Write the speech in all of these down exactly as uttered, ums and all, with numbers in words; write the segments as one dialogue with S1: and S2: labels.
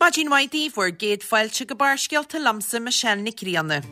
S1: Maidin mhaith daoibh, bhur gcéad fáilte go Barrscéalta liomsa Michelle Nic Grianna.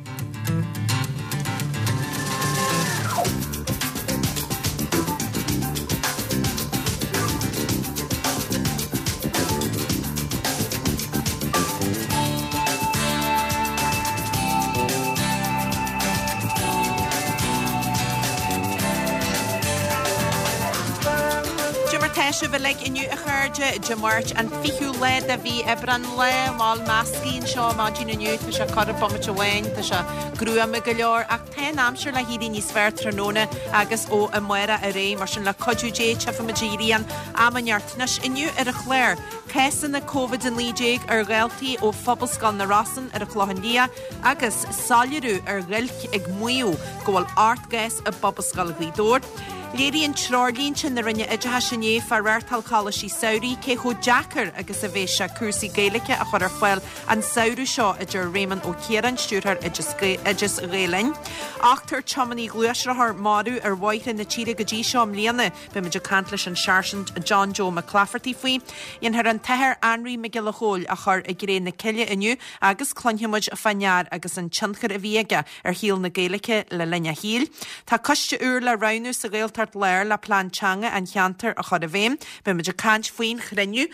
S1: Cad é mar tá sibh uilig inniu a chairde, Dé Máirt an fichiú lá de mhí Aibreán, lá mall measctha anseo maidin inniu, tá sé corradh bomaite amháin, tá sé gruama go leor ach tá an aimsir le héirí níos fearr tráthnóna agus ó amárach ar aghaidh, mar sin le cuidiú Dé tchífimid an ghrian am inteacht. Anois inniu ar an chlár, cásanna Covid a naoi déag ar dhaltaí ó Phobalscoil na Rosann ar an Chlochán Liath agus soiléiriú ar ghiolc ag maíomh go bhfuil ocht gcás i bPobalscoil Ghaoth Dobhair. Léiríonn treoirlínte na Roinne Oideachais inné fá reáchtáil coláistí samhraidh cé chomh deacair agus a bheas sé cúrsaí Gaeilge a chur ar fáil an samhradh seo, a deir Réamonn Ó Ciaráin, Stiúrthóir Oideas Gael Linn. Ochtar tiománaí gluaisrothar marbh ar bhóithre na tíre go dtí seo i mbliana. Beimid ag caint leis an Sáirsint John Joe McClafferty faoi. Dhéanfar an tAthair Anraí Mac Giolla Chóill a chur i gcré na cille inniu agus cluinfimid fán fhear agus an tionchar a bhí aige ar shaol na Gaeilge le linn a shaoil. Tá coiste úr le roghnú sa Ghaeltacht Láir le plean teanga an cheantair a chur i bhfeidhm. Beimid ag caint faoin chruinniú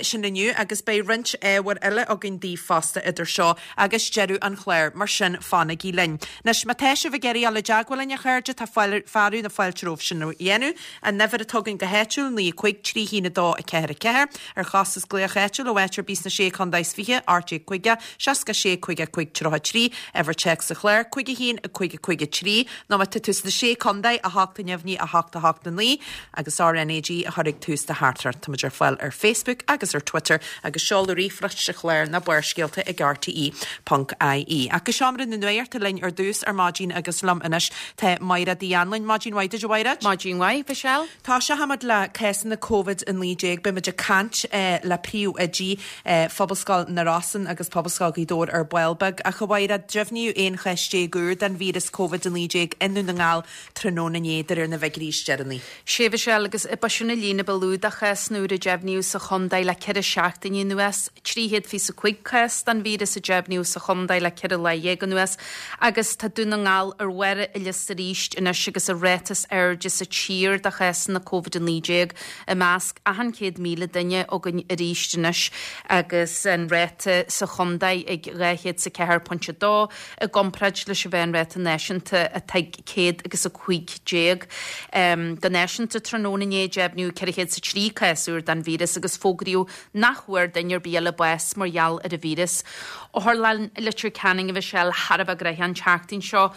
S1: sin inniu agus beidh roinnt ábhair eile againn daoibh fosta idir seo agus deireadh an chláir, mar sin fanaigí linn. Anois, má tá sibh ag iarraidh dul i dteagmháil linn, a chairde, tá fearadh na fáilte romhaibh sin a dhéanamh. An uimhir atá againn go háitiúil, naoi a cúig, trí haon a dó, a ceathair a ceathair. Ar chostas glaoch áitiúil ó áit ar bith sna Sé Chontae is Fiche, ocht déag caoga, seasca sé, caoga a cúig, tríocha a trí. Uimhir téacs sa chlár, cúig a haon, a cúig a cúig a trí. Nó má tá tú sna Sé Chontae, a hocht a neamhní, a hocht a hocht a naoi. Agus RnaG a chur ag tús do theachtaireacht. Táimid ar fáil ar Facebook agus ar Twitter agus seoladh ríomhphoist sa chlár ná Barrscéalta ag rte ponc ie. Ach go seomra na nuachta linn ar dtús ar maidin agus liom anois tá Mairéad Uí Anluain. Maidin mhaith duit a Mhairéad.
S2: Maidin mhaith, Michelle.
S1: Tosóimid le cásanna Covid a naoi déag. Beimid ag caint le príomhoidí Phobalscoil na Rosann agus Pobalscoil Ghaoth Dobhair ar ball beag. Ach a Mhairéad, deimhníodh aon chás déag úr den víreas Covid a naoi déag i nDún na nGall tráthnóna inné de réir na bhfigiúirí is deireanaí.
S2: Sea, Michelle, agus b'shin an líon a ba lú de chásanna úra a deimhníodh sa chontae le ceithre seachtainí anuas. trí chéad fiche a cúig cás den víreas a deimhníodh sa chontae le ceithre lá dhéag anuas agus tá Dún na nGall ar bharr an liosta arís anois agus an ráta is airde sa tír de chásanna Covid a naoi déag i measc achan céad míle duine againn arís anois agus an ráta sa chontae ag dhá chéad is a ceathair pointe a dó i gcomparáid leis an mheánráta náisiúnta atá ag céad agus a cúig déag. Go náisiúnta tráthnóna inné deimhníodh ceithre chéad is a trí cás úr den víreas agus fógraíodh nach bhfuair duine ar bith eile bás mar gheall ar an víreas. Otharlann Leitir Ceanainn a Mhichelle thar a bheith gnoitheach an tseachtain seo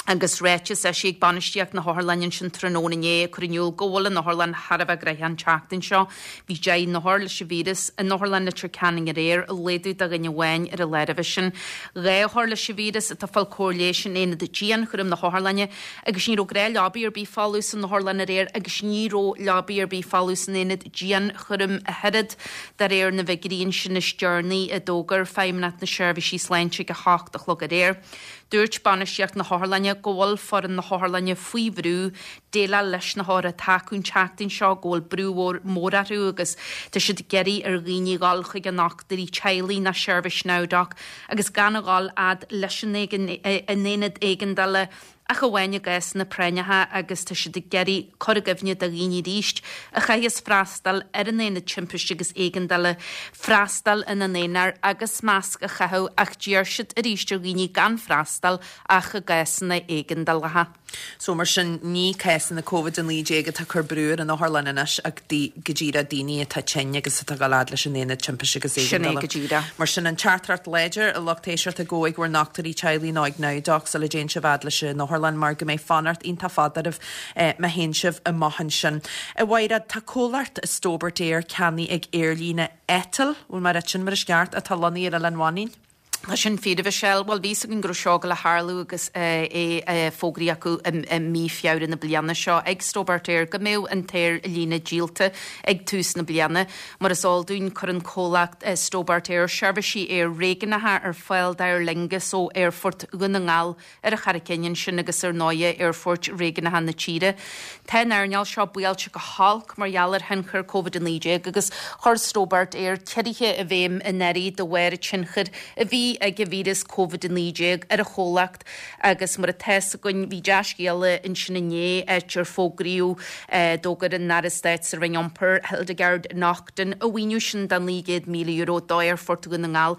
S2: agus ráiteas eisithe ag bainistíocht na hotharlainne ansin tráthnóna inné ag cur in iúl go bhfuil an otharlann thar a bheith gnoitheach an tseachtain seo. Bhí deich n-othar leis an víreas in Otharlann Leitir Ceanainn aréir, laghdú de dhuine amháin ar an lá roimhe sin. Dhá othar leis an víreas atá ag fáil cóir leighis in aonad dianchúraim na hotharlainne agus ní raibh gnáthleabaí ar bith folamh san otharlann aréir agus ní raibh leabaí ar bith folamh san aonad dianchúraim ach oiread, de réir na bhfigiúirí ansin is deireanaí a d'fhógair Feidhmeannacht na Seirbhísí Sláinte ag a hocht a chlog aréir. Dúirt bainistíocht na hotharlainne go bhfuil foireann na hotharlainne faoi bhrú déileáil leis na hothair atá acu an tseachtain seo, go bhfuil brú mór orthu agus tá siad ag iarraidh ar dhaoine dhul chuig a ndochtúirí teaghlaigh nó seirbhís NowDoc agus gan a dhul fhad leis an aonad éigeandála ach amháin i gcásanna práinneacha agus tá siad ag iarraidh cur i gcuimhne do dhaoine arís a chaithfeas freastal ar an aonad timpiste agus éigeandála freastal ina n-aonar agus masc a chaitheamh ach d'iarr siad arís ar dhaoine gan freastal ach i gcásanna éigeandálacha.
S1: So mar sin, ní cásanna Covid a naoi déag atá ag cur brú ar an otharlann anois ach go díreach daoine atá tinn agus atá ag dul fhad leis an aonad timpiste agus
S2: Sin é
S1: éigeandála.
S2: go díreach.
S1: Mar sin, an teachtaireacht láidir, a lucht éisteachta, gabh ag bhur ndochtúirí teaghlaigh nó ag NowDoc sula dtéann sibh fhad leis an otharlann mar go mbeidh fanacht iontach fada oraibh má théann sibh amach ansin. A Mhaighread, tá comhlacht Stobart Air ceannaithe ag aerlíne Eitil, bhfuil mé ag rá sin mar is ceart, atá lonnaithe ar Oileán Mhanainn.
S2: Tá sin fíor, a Mhichelle. Bhuel, bhí a fhios againn go raibh seo ag gabháil a tharlú agus é fógraithe acu i mí Feabhra na bliana seo ag Stobart Air go mbeadh an t-aerlíne díolta ag tús na bliana. Mar is eol dúinn, cuireann comhlacht Stobart Air seirbhísí aeir réigiúnacha ar fáil d'Aer Lingus ó Aerfort Dhún na nGall ar an Charraig Fhinn ansin agus ar ndóighe aerfoirt réigiúnacha na tíre. Tá an earnáil seo buailte go holc mar gheall ar thionchar Covid a naoi déag agus chuir Stobart Air ciorruithe i bhfeidhm anuraidh de bharr an tionchair a bhí ag an víreas Covid a naoi déag ar an chomhlacht agus mar atá a fhios againn bhí dea-scéala ansin inné áit ar fógraíodh d'fhógair an Aire Stáit sa Roinn Iompair Hildegarde Naughton an mhaoiniú sin de naoi gcéad míle euro d'Aerfort Dhún na nGall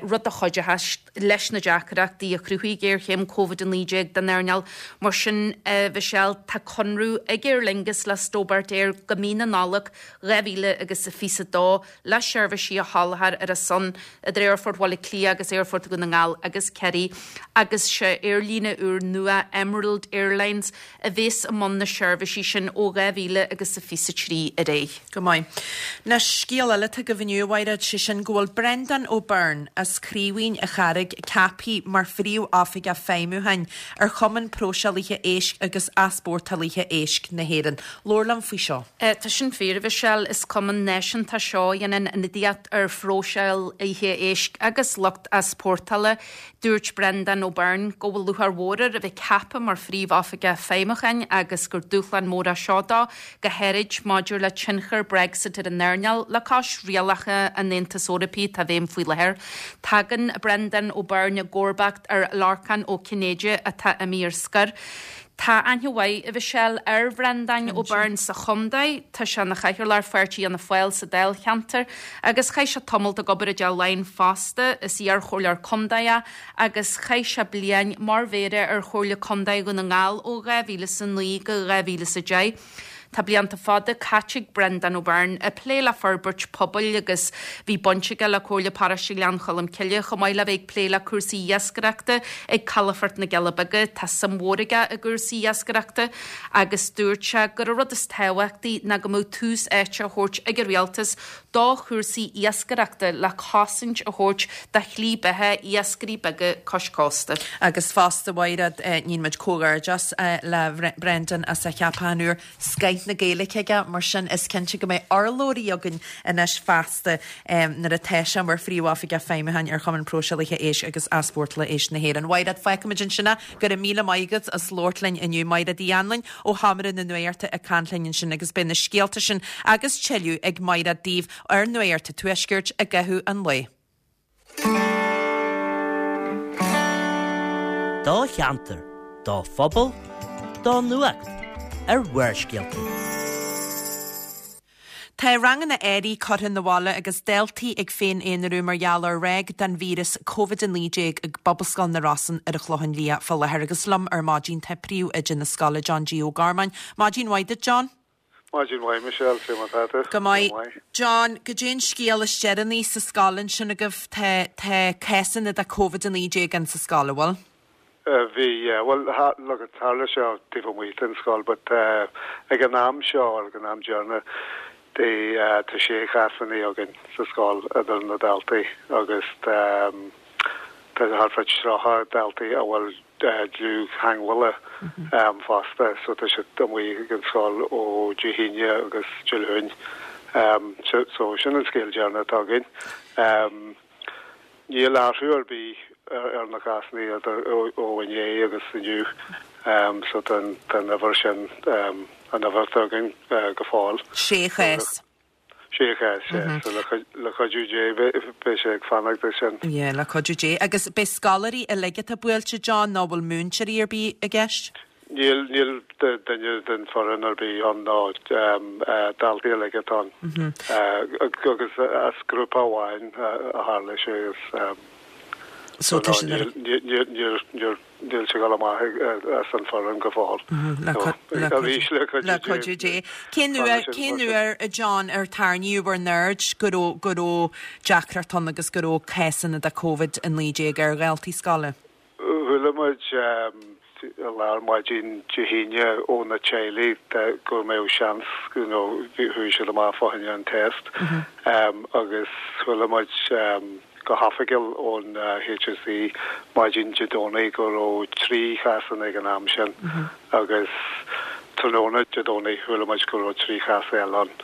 S2: rud a chuideochas leis na deacrachtaí a chruthaigh géarchéim Covid a naoi déag don earnáil. Mar sin, a Mhichelle, tá conradh ag Aer Lingus le Stobart Air go mí na Nollag dhá mhíle agus a fiche a dó le seirbhísí a sholáthar ar a son idir Aerfort Bhaile Átha Cliath agus Aerfort Dhún na nGall agus Ciarraí agus sé aerlíne úr nua Emerald Airlines a bhéas i mbun na seirbhísí sin ó dhá mhíle agus a fiche a trí ar aghaidh.
S1: Go maith. Anois, scéal eile atá agaibh inniu, a Mhaighread, sé sin go bhfuil Breandán Ó Beirn as Craoibhín a' Charraig ceaptha mar Phríomh-Oifigeach Feidhmiúcháin ar Chumann Próiseálaithe Éisc agus Easpórtálaithe Éisc na hÉireann. Labhair liom faoi seo.
S2: Tá sin fíor, a Mhichelle. Is cumann náisiúnta seo a dhéanann ionadaíocht ar phróiseálaithe éisc agus lucht easpórtála. Dúirt Breandán Ó Beirn go bhfuil lúcháir mhór air a bheith ceaptha mar Phríomh-Oifigeach Feidhmiúcháin agus gur dúshlán mór é seo dó, go háirid maidir le tionchar Brexit ar an earnáil le cois rialacha an Aontais Eorpaigh atá i bhfeidhm faoi láthair. Tagann Breandán Ó Beirn i gcomharbacht ar Lorcán Ó Cinnéide atá imithe ar scor. Tá aithne mhaith, a Mhichelle, ar Bhreandán Ó Beirn sa chontae. Tá sé ina chathaoirleach ar Pháirtí Fhianna Fáil sa dáilcheantar agus chaith sé tamalt ag obair i dTeach Laighean fosta. Is iar-chomhairleoir contae é agus chaith sé bliain mar mhéara ar Chomhairle Contae Dhún na nGall ó dhá mhíle is a naoi go dhá mhíle is a deich. Tá blianta fada caite ag Breandán Ó Beirn ag plé le forbairt pobail agus bhí baint aige le Comhairle Paróiste Ghleann Cholm Cille chomh maith le bheith ag plé le cúrsaí iascaireachta ag Calafort na gCealla Beaga. Tá suim mhór aige i gcúrsaí iascaireachta agus dúirt sé gur an rud is tábhachtaí ná go mbeadh tús áite á thabhairt ag an rialtas do chúrsaí iascaireachta le cosaint a thabhairt do shlí beatha iascairí beaga cois cósta.
S1: Agus fosta, a Mhaighread, níonn muid comhghairdeas le Brendan as a cheapachán úr. Scoith na Gaeilge aige, mar sin is cinnte go mbeidh urlabhraí againn anois feasta nuair atá sé mar Phríomh-Oifigeach Feidhmiúcháin ar Chumann Próiseálaithe Éisc agus Easpórtála Éisc na hÉireann. Mhaighread, fágfaimid ansin é. Go raibh míle maith agat as labhairt linn inniu. Maighread Uí Anluain ó Sheomra na Nuachta ag caint linn ansin agus beidh na scéalta sin agus tuilleadh ag Maighread daoibh ar Nuacht an Tuaiscirt i gcaitheamh an lae.
S3: Do cheantar, do phobal, do nuacht ar Bharrscéalta.
S1: Tá ranganna earraigh curtha na bhaile agus daltaí ag féin-aonarú mar gheall ar ráig den víreas Covid a naoi déag ag Pobalscoil na Rosann ar an Chlochán Liath fá láthair agus liom ar maidin tá príomhoide na scoile John G Ó Gormáin. Maidin mhaith duit John.
S4: Maidin mhaith Michelle, cé mar atá tú?
S1: Go maith. John, goidé an scéal is deireanaí sa scoil ansin agaibh, tá tá cásanna de Covid a naoi déag in sa scoil, an bhfuil?
S4: Bhí, yeah. Bhuel, look, tharla sé taobh amuigh den scoil, but ag an am seo, ag an am deireanach, tá sé chásanna againn sa scoil idir na daltaí agus tá thart fá tríocha daltaí a bhfuil dlúth-theagmhálaithe fosta, so tá siad amuigh ag an scoil ó Dé hAoine agus Dé Luain. So sin an scéal deireanach atá againn. Níl athrú ar bith ar na cásanna idir ó inné agus inniu, so tá an uimhir sin, an uimhir atá againn go fóill.
S1: Sé chás.
S4: Sé chás, yeah. So le cuidiú Dé beidh sé ag fanacht leis sin.
S1: Yeah, le cuidiú Dé. Agus beidh scoláirí uilig atá buailte, John, nó bhfuil múinteoirí ar bith i gceist?
S4: Níl, níl duine den foireann ar bith ann ná daltaí uilig atá ann. Agus as grúpa amháin a tharla sé is so no, níl, níl, níl, níl, níl sé ag dul amach as an foireann go fóill. Arís le cuidiú
S1: Le cuidiú Dé. Cén uair, cén uair, a John, ar tarraingíodh bhur n-aird go raibh, go raibh deacracht ann agus go raibh cásanna de Covid a naoi déag ar dhaltaí scoile?
S4: Chuala muid i lár maidin Dé hAoine ó na teaghlaigh go mbeadh seans you know chuaigh siad amach fá choinne an test agus chuala muid go hoifigiúil ón HSE maidin Dé Domhnaigh go raibh trí chás ann ag an am sin agus tráthnóna Dé Domhnaigh chuala muid go raibh trí chás eile ann.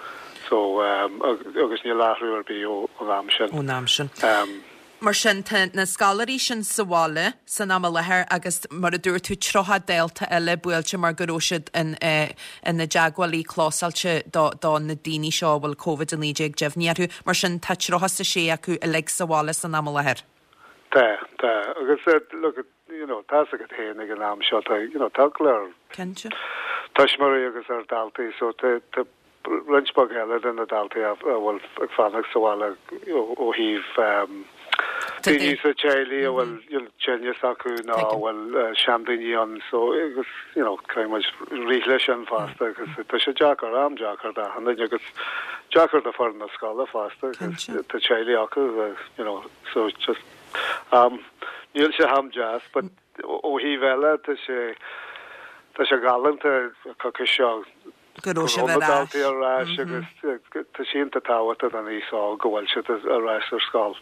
S4: So agus níl athrú ar bith ón am sin.
S1: Ón am sin. Mar sin tá na scoláirí sin sa bhaile san am i láthair agus mar a dúirt tú tríocha dalta eile buailte mar go raibh siad in ina dteagmhálaí clósáilte do do na daoine seo a bhfuil Covid a naoi déag deimhnithe orthu. Mar sin tá tríocha is a sé acu uilig sa bhaile san am i láthair.
S4: Tá, tá. Agus look, you know, tá a fhios agat féin ag an am seo tá, you know, tá go leor
S1: Cinnte.
S4: tuismitheoirí agus ar daltaí so tá tá roinnt beag eile de na daltaí a bhfuil ag fanacht sa bhaile ó thaobh daoine sa teaghlach a bhfuil tinneas acu nó a bhfuil seandaoine ann so agus you know caithfidh muid rith leis sin fosta agus tá sé deacair, am deacair d'achan duine agus deacair do foireann na scoile fosta agus tá teaghlaigh acu you know so just um níl sé am deas but ó thaobh eile tá sé tá sé galánta coicís seo
S1: go raibh sibh
S4: ar ais. ar ais agus tá sé iontach tábhachtach don aos óg go bhfuil siad ar ais ar scoil.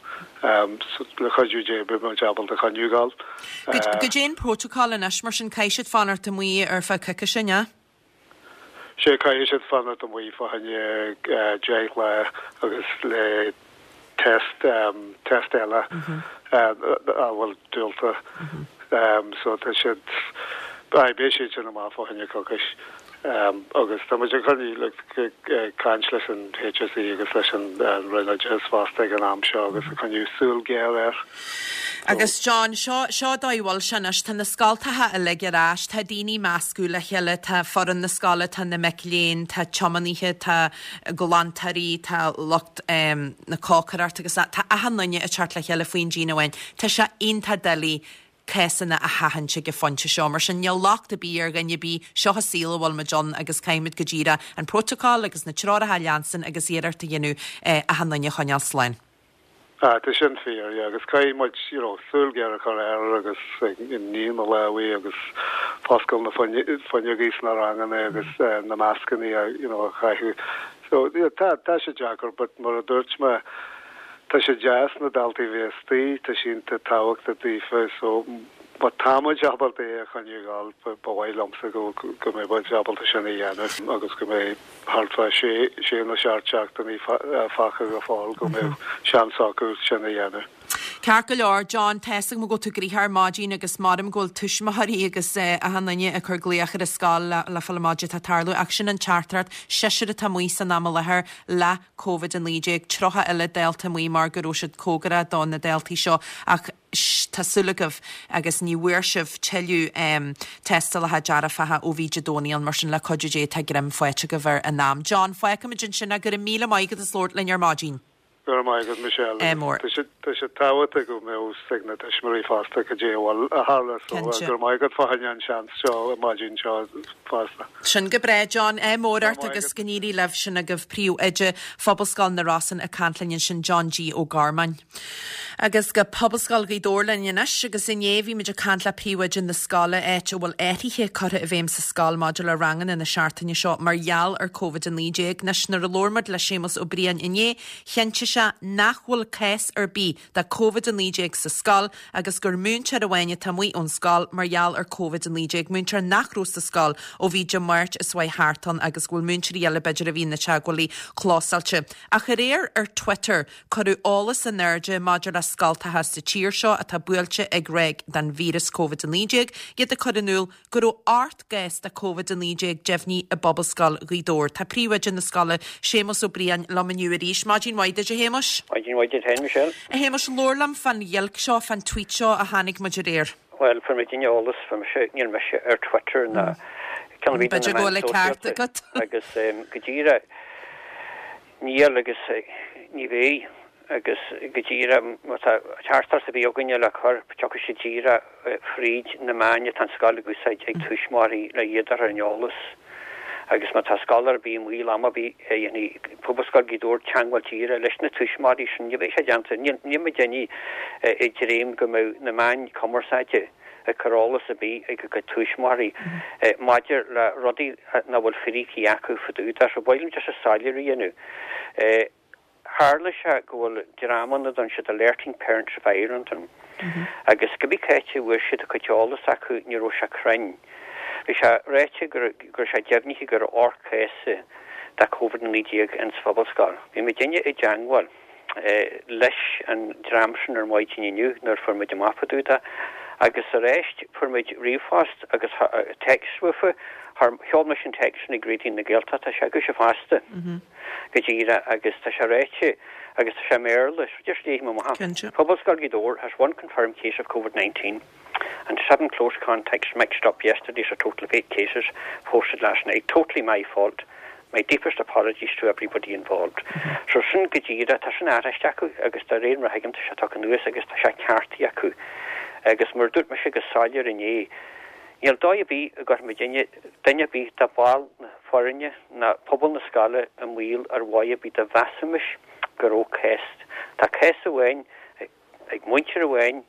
S4: Le cuidiú Dé beidh muid ábalta coinneáil ag gabháil.
S1: Goidé an protocol anois mar sin caithfidh siad fanacht amuigh ar feadh coicíse, an ea?
S4: Sea caithfidh siad fanacht amuigh fá choinne deich lá agus le test test eile a bhfuil diúltach. So tá siad beidh siad sin amach fá choinne coicís. Agus tá muid ag coinneáil ag caint leis an HSE agus leis an Roinn Oideachais fosta ag an am seo agus ag coinneáil súil ghéar air.
S1: Agus John, seo seo dóigh a bhfuil sé anois, tá na scoltacha uilig ar ais, tá daoine measctha le chéile, tá foireann na scoile, tá na mic léinn, tá tiománaithe, tá glantóirí, tá lucht na cócaireachta agus tá achan duine ag teacht le chéile faoin díon amháin. Tá sé iontach doiligh cásanna a sheachaint ag an phointe seo. Mar sin, níl locht ar bith ar dhuine ar bith, seo an saol a bhfuil muid ann agus caithfimid go díreach an protocol agus na treoracha a leanstan agus iarracht a dhéanamh achan duine a choinneáil slán.
S4: Ah, tá sin fíor, yeah, agus caithfidh muid, you know, súil ghéar a chur air agus ag ní na lámha agus foscail na fuinneogaí sna ranganna agus na mascanna a, you know, a chaitheamh. So, yeah, tá, tá sé deacair, but mar a dúirt mé, Tá sé deas na daltaí bheith istigh, tá sé iontach tábhachtach daofa so má tá muid ábalta é a choinneáil ba mhaith liomsa go go mbeidh muid ábalta sin a dhéanamh agus go mbeidh thart fá sé sé nó seacht seachtainí fágtha go fóill go mbeidh seans acu sin a dhéanamh.
S1: Ceart go leor, John, tá 'fhios agam go bhfuil tú gnoitheach ar maidin agus maram go bhfuil tuismitheoirí agus achan duine ag cur glaoch ar an scoil le le fáil amach goidé atá ag tarlú ach sin an teachtaireacht, seisear atá amuigh san am i láthair le Covid a naoi déag, tríocha eile dalta amuigh mar go raibh siad cóngarach do na daltaí seo ach tá súil agaibh agus ní bhfuair sibh tuilleadh tástálacha dearfacha ó bhí Dé Domhnaigh ann mar sin le cuidiú Dé tá greim faighte agaibh ar an am. John, fágfaimid ansin é, go raibh míle maith agat as labhairt linn ar maidin.
S4: Go raibh maith agat Michelle.
S1: Ádh mór.
S4: Tá sé tá sé tábhachtach go mbeadh fhios ag na tuismitheoirí fosta cad é a bhfuil a tharla so
S1: Cinnte.
S4: go raibh maith agat fá choinne an seans seo an maidin seo fosta.
S1: Sin go breá John, ádh mór
S4: Go raibh
S1: ort
S4: maith
S1: agus
S4: agat.
S1: go n-éirí libh sin agaibh príomhoide Phobalscoil na Rosann ag caint linn ansin John G Ó Gormáin. Agus go Pobalscoil Ghaoth Dobhair linn anois agus inné bhí muid ag caint le príomhoide na scoile áit a bhfuil athruithe curtha i bhfeidhm sa scoil maidir le ranganna na seachtaine seo mar gheall ar Covid a naoi déag. Anois nuair a labhair muid le Séamus Ó Briain inné, chinntigh sé nach bhfuil cás ar bith de Covid a naoi déag sa scoil agus gur múinteoir amháin atá amuigh ón scoil mar gheall ar Covid a naoi déag, múinteoir nach raibh sa scoil ó bhí Dé Máirt is uaidh thart ann agus go bhfuil múinteoirí eile b'fhéidir a bhí ina teagmhálaí clósáilte. Ach aréir ar Twitter cuireadh eolas in airde maidir le scoltacha sa tír seo atá buailte ag ráig den víreas Covid a naoi déag, iad ag cur in iúl go raibh ocht gcás de Covid a naoi déag deimhnithe i bPobalscoil Ghaoth Dobhair. Tá príomhoide na scoile, Séamus Ó Briain, liom inniu arís. Maidin mhaith duit, a Shéamuis.
S5: Maidin mhaith duit féin, Michelle.
S1: A Shéamuis, labhair liom fán ghiolc seo, fán tweet seo a tháinig muid aréir.
S5: Bhuel, fuair muid eolas, fuair mise, níl mise ar Twitter ná ceann ar bith de
S1: B'fhéidir
S5: na
S1: go bhfuil
S5: meáin
S1: an ceart
S5: sóisialta
S1: agat.
S5: agus go díreach níl agus ní bheidh agus go díreach má tá teachtaireacht ar bith againne le cur, tiocfaidh sé díreach fríd na meáin atá an scoil ag úsáid ag tuismitheoirí le iad a chur ar an eolas. Agus má tá scoil ar bith i mbaol am ar bith a dhéanfaidh Pobalscoil Ghaoth Dobhair teagmháil díreach leis na tuismitheoirí sin, ní bheidh sé déanta, níl muid ag dréim go mbeidh na meáin cumarsáide ag cur eolas ar bith ag a gcuid tuismitheoirí maidir le rudaí nach bhfuil fíricí acu fá dtaobh de. So ba mhaith liom just soiléiriú a dhéanamh. Tharla sé go bhfuil dream ann a dtugann siad Alerting Parents of Ireland orthu. Agus cibé cá háit a bhfuair siad a cuid eolas acu ní raibh sé cruinn. Bhí sé ráite go raibh sé deimhnithe go raibh ocht cás de Covid a naoi déag ins Phobalscoil. Bhí muidinne i dteangmháil leis an dream sin ar maidin inniu nuair a fuair muid amach fá dtaobh de agus arís fuair muid ríomhphost agus téacs uafa, sheol mise an téacs sin ag Raidió na Gaeltachta, tá sé agaibhse fosta go díreach agus tá sé ráite agus tá sé i mBéarla, so just léifidh mé amach. Pobalscoil Ghaoth Dobhair has one confirmed case of Covid nineteen and seven close contacts mixed up yesterday's a total of eight cases posted last night. Totally my fault. My deepest apologies to everybody involved. So sin go díreach, tá sin aithiste acu agus de réir mar a thuigim tá sé tagtha anuas agus tá sé ceartaithe acu. Agus mar a dúirt mise go soiléir inné, níl dóigh ar bith go gcuirfidh muidinne duine ar bith de bhaill na foirne ná pobal na scoile i mbaol ar mhaith ar bith dá mheasfaimis go raibh cás. Tá cás amháin ag múinteoir amháin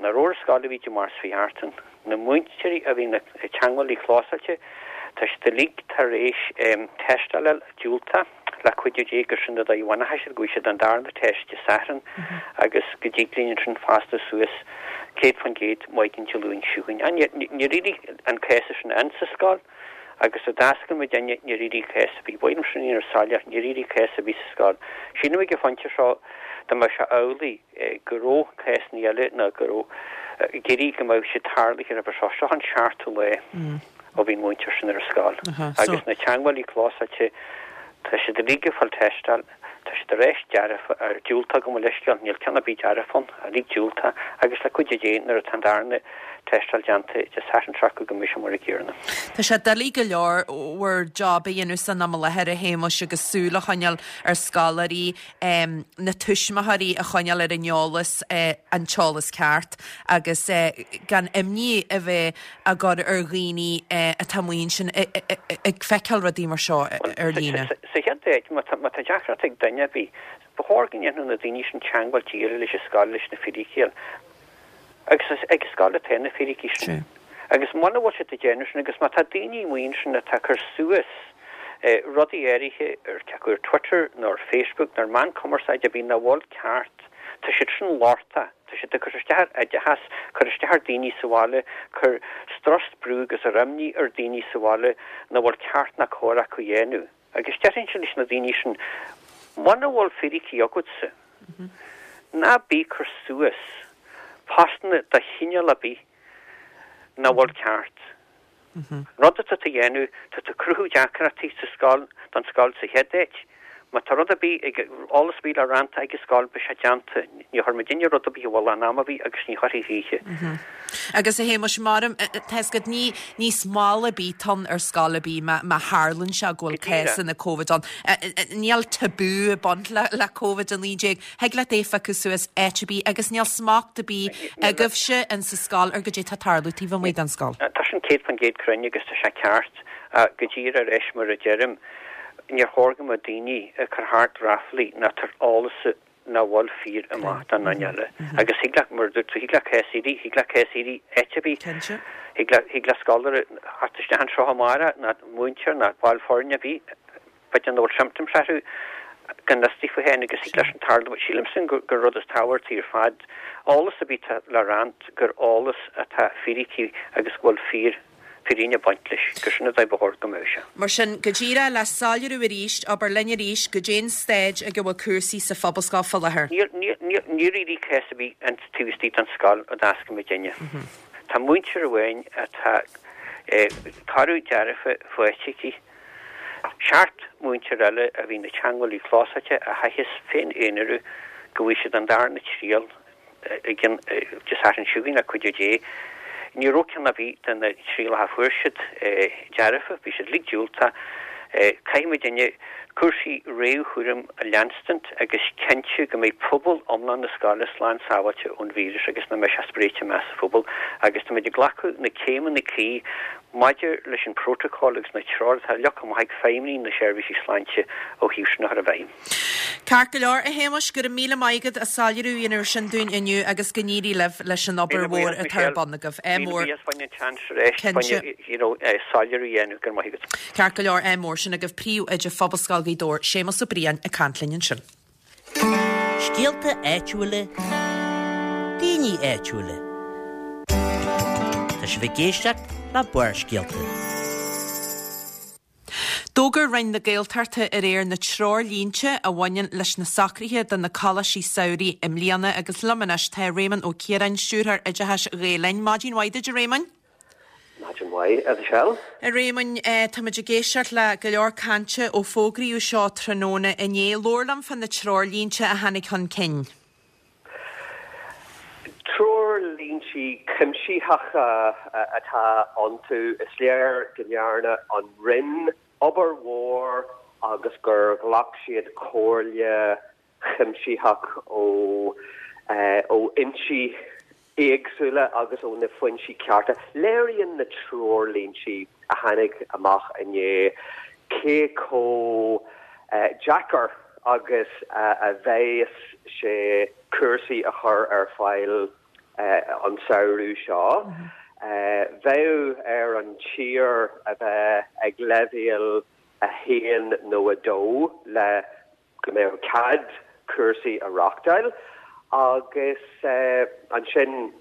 S5: nach raibh ar an scoil a bhí Dé Máirt seo chuaigh thart. Na múinteoirí a bhí na teagmhálaí clósáilte, tá siad uilig tar éis tástáil a fháil diúltach, le cuidiú Dé gur sin an dóigh a bhainfidh siad, go bhfaighidh siad an darna test Dé Sathairn agus go dtig linn ansin fásta suas céad faoin gcéad maidin Dé Luain seo chugainn. Níor éirigh an cás sin insa scoil agus a d'oscail muidinne níor éirigh cás ar bith. Ba mhaith liom sin a dhéanamh soiléir, níor éirigh cás ar bith sa scoil. Sílim ag an phointe seo dá mbeadh sé amhlaidh go raibh cásanna eile nó go raibh ag iarraidh go mbeadh siad tarlaithe roimhe seo. Seo an seachtú lá ó bhí an múinteoir sin ar an scoil. Agus na teagmhálaí clósáilte, tá siad uilig ag fáil tástáil, tá siad ar ais dearfa, ar diúltach gabh mo leithscéal, níl ceann ar bith dearfach ann, uilig diúltach, agus le cuidiú Dé nuair atá an darna tástáil déanta Dé Sathairn seo chugainn go mbeidh sé mar an gcéanna.
S1: Tá sé doiligh go leor bhur job a dhéanamh san am i láthair a Shéamuis agus súil a choinneáil ar scoláirí, na tuismitheoirí a choinneáil ar an eolas, an t-eolas ceart agus gan imní a bheith á gcur ar dhaoine atá amuigh ansin ag feiceáil rudaí mar seo ar líne.
S5: Sa chéad áit, má tá deacracht ag duine ar bith, ba chóir go ndéanfadh na daoine sin teagmháil díreach leis an scoil leis na fíricí a fháil. Agus is ag an scoil atá na fíricí sin. Agus muna bhfuil siad ag déanamh sin, agus má tá daoine amuigh ansin atá ag cur suas rudaí áirithe ar cé acu ar Twitter nó ar Facebook nó ar meán cumarsáide ar bith nach bhfuil ceart, tá siad sin lochtach, tá siad ag cur isteach ar oideachas, cur isteach ar daoine sa bhaile, cur strus, brú agus ar imní ar daoine sa bhaile nach bhfuil ceart ná cóir acu a dhéanamh. Agus déarfainnse leis na daoine sin, muna bhfuil fíricí agatsa, ná bí ag cur suas postanna de chineál ar bith nach bhfuil ceart. An rud atá tú a dhéanamh, tá tú ag cruthú deacrachtaí sa scoil, don scoil sa chéad áit. Má tá rud ar bith ag, eolas ar bith le roinnt ag an scoil, beidh sé déanta. Ní chuir muidinne rud ar bith i bhfolach in am ar bith agus ní chuirfidh choíche.
S1: Agus a Shéamuis, mar tá 'fhios agat, ní, ní smál ar bith atá ann ar scoil ar bith má, má tharlaíonn sé go bhfuil cásanna Covid ann. Níl tabú ag baint le, le Covid a naoi déag. Thig leat é a phiocadh suas áit ar bith agus níl smacht ar bith agaibhse in sa scoil ar goidé tá ag tarlú taobh amuigh den scoil.
S5: Tá sin céad faoin gcéad cruinn agus tá sé ceart. Go díreach ar ais mar a deirim, níor chóir go mbeadh daoine ag cur thart ráflaí ná tabhairt eolas nach bhfuil fíor amach don duine eile. Agus thig le, mar a dúirt tú, thig le cás éirí, thig le cás éirí áit ar bith. Thig le, thig le scoláire theacht isteach anseo amárach, ná múinteoir, ná ball foirne ar bith, b'fhéidir nach bhfuil symptoms orthu, gan fhios daofa féin agus thig leis sin tarlú. Sílimse gur, gur rud is tábhachtaí ar fad, eolas ar bith atá le roinnt, gur eolas atá fíricí agus go bhfuil fíor, fírinne ag baint leis, gur sin an dóigh ba chóir go mbeadh sé.
S1: Mar sin, go díreach le soiléiriú arís, abair linn arís goidé an staid ag a bhfuil cúrsaí sa Phobalscoil fá láthair.
S5: Níor, níor, níor, níor éirigh cás ar bith an taobh istigh den scoil a d'oscail muidinne. Tá múinteoir amháin atá toradh dearfa faighte aici. Seacht múinteoir eile a bhí ina teagmhálaí clósáilte a chaitheas féin aonarú go bhfaighidh siad an darna triail i gcionn Dé Sathairn seo chugainn le cuidiú Dé. Ní raibh ceann ar bith de na trialacha a fuair siad dearfa, bhí siad uilig diúltach. Caithfidh muidinne cúrsaí réamhchúraim a leanstaint agus cinntiú go mbeidh pobal iomlán na scoile slán sábháilte ón víreas agus nach mbeidh sé spréite amach sa phobal agus táimid ag glacadh na céimeanna cuí maidir leis an bprótacal agus na treoir atá leagtha amach ag feidhmeannaigh na seirbhísí sláinte ó thaobh sin a chur i bhfeidhm.
S1: Ceart go leor, a Shéamuis, go raibh míle maith agat as soiléiriú a dhéanamh sin dúinn inniu agus go n-éirí libh leis an obair mhór atá ar bun agaibh. Ádh
S5: Míle
S1: mór.
S5: buíochas, bhain an seans arís,
S1: Cinnte.
S5: bhain, you know, soiléiriú a dhéanamh, go raibh maith agat.
S1: Ceart go leor, ádh mór sin agaibh, Príomhoide Phobalscoil Ghaoth Dobhair, Séamus Ó Briain ag caint linn ansin.
S3: Scéalta áitiúla, daoine áitiúla. Tá sibh ag éisteacht le Barrscéalta.
S1: D'fhógair Roinn na Gaeltachta aréir na treoirlínte a bhaineann leis na socruithe do na coláistí samhraidh i mbliana agus liom anois tá Réamonn Ó Ciaráin, Stiúrthóir Oideachais Ghael Linn. Maidin mhaith duit, a Réamoinn.
S6: Maidin mhaith, a Mhichelle.
S1: A Réamoinn, táimid ag éisteacht le go leor cainte ó fógraíodh seo tráthnóna inné. Labhair liom fá na treoirlínte a tháinig chun cinn.
S6: Treoirlínte cuimsitheacha atá iontu. Is léir go ndearna an Roinn obair mhór agus gur ghlac siad comhairle chuimsitheach ó ó fhoinsí éagsúla agus ó na foinsí cearta. Léiríonn na treoirlínte a tháinig amach inné cé chomh deacair agus a bheas sé cúrsaí a chur ar fáil an samhradh seo. Bheadh ar an tír a bheith ag leibhéal a haon nó a dó le go mbeadh cead cúrsaí a reáchtáil agus ansin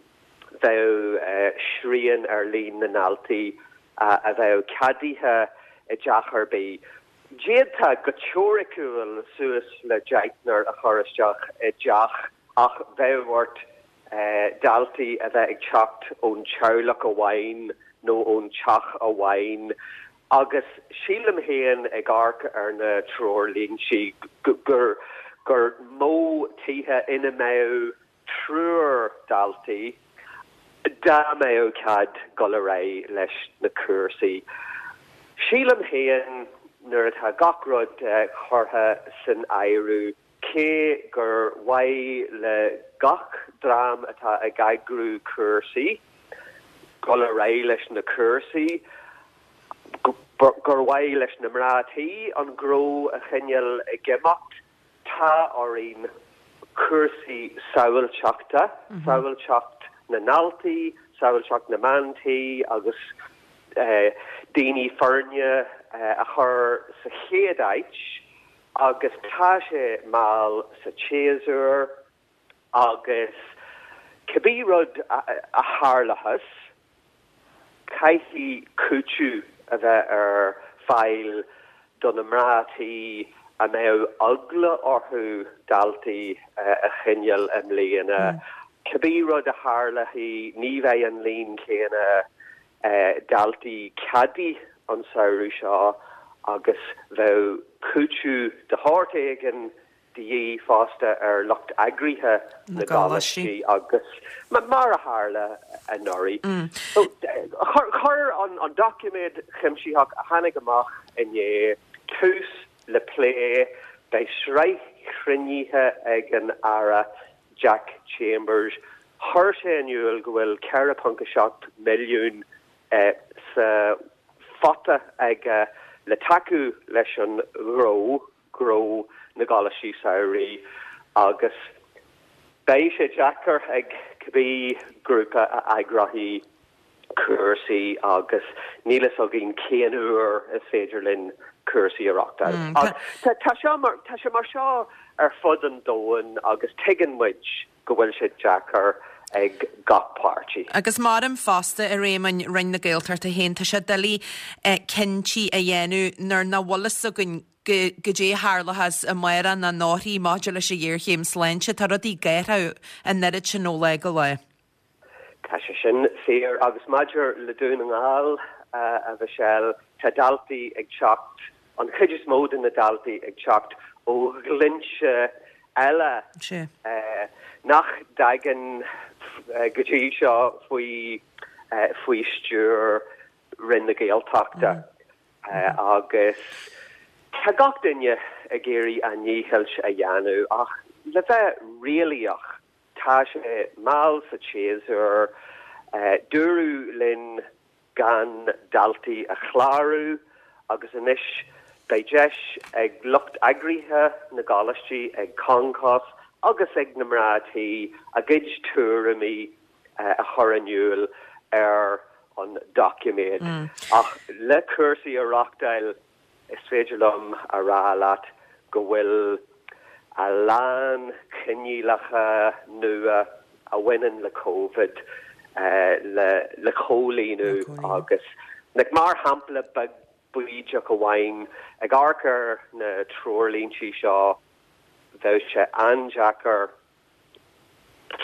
S6: bheadh srian ar líon na ndaltaí a bheadh ceadaithe i dteach ar bith. D'fhéadfá go teoiriciúil suas le deichniúr a chur isteach i dteach ach bheadh ort daltaí a bheith ag teacht ón teaghlach amháin nó ón teach amháin agus sílim féin ag amharc ar na treoirlínte gur gur mó tithe ina mbeadh triúr daltaí dá mbeadh cead dul ar aghaidh leis na cúrsaí. Sílim féin nuair atá gach rud curtha san áireamh cé gur mhaith le gach dream atá ag eagrú cúrsaí dul ar aghaidh leis na cúrsaí, gur mhaith leis na mná tí an gnó a choinneáil ag imeacht, tá orainn cúrsaí sábháilteachta, sábháilteacht na ndaltaí, sábháilteacht na mban tí agus daoine foirne a chur sa chéad áit. Agus tá sé mall sa tséasúr agus cibé rud a tharlóchas, caithfidh cúiteamh a bheith ar fáil do na mná tí a mbeadh eagla orthu daltaí a choinneáil i mbliana. Cibé rud a tharlóidh, ní bheidh an líon céanna daltaí ceadaithe an samhradh seo agus bheadh cúiteamh de shórt éigin de dhíth fosta ar lucht eagraithe na gcoláistí agus mar a tharla anuraidh. Chuir an doiciméad cuimsitheach a tháinig amach inné tús le plé. Beidh sraith chruinnithe ag an Aire Jack Chambers. Chuir sé in iúl go bhfuil ceithre ponc a seacht milliún sa phota aige le tacú leis an ghnó, gnó na gcoláistí samhraidh, agus beidh sé deacair ag cibé grúpa a eagróidh cúrsaí agus níl fhios againn cén uair is féidir linn cúrsaí a reáchtáil. Ach tá sé mar tá sé mar seo ar fud an domhain agus tuigeann muid go bhfuil sé deacair ag gach páirtí.
S1: Agus maram fosta, a Réamoinn, Roinn na Gaeltachta féin, tá sé doiligh cinntí a dhéanamh nuair nach bhfuil fhios againn goidé a tharlóchas amárach nó anóirthigh maidir leis an ghéarchéim sláinte. Tá rudaí ag athrú an oiread sin ó lá go lá.
S6: Tá sé sin fíor agus maidir le Dún na nGall, a Mhichelle, tá daltaí ag teacht, an chuid is mó de na daltaí ag teacht ó dhlínse eile nach dtagann go dtí seo faoi faoi stiúir Roinn na Gaeltachta agus tá gach duine ag iarraidh a ndícheall a dhéanamh ach le bheith réalaíoch tá sé mall sa tséasúr. Dúradh linn gan daltaí a chlárú agus anois beidh deis ag lucht eagraithe na gcoláistí, ag Concos agus ag na mná tí a gcuid tuairimí a chur in iúl ar an doiciméad. Ach le cúrsaí a reáchtáil, is féidir liom a rá leat go bhfuil a lán coinníollacha nua a bhaineann le Covid le le comhlíonadh agus like mar shampla beag bídeach amháin ag amharc ar na treoirlíntí seo bheadh sé an-deacair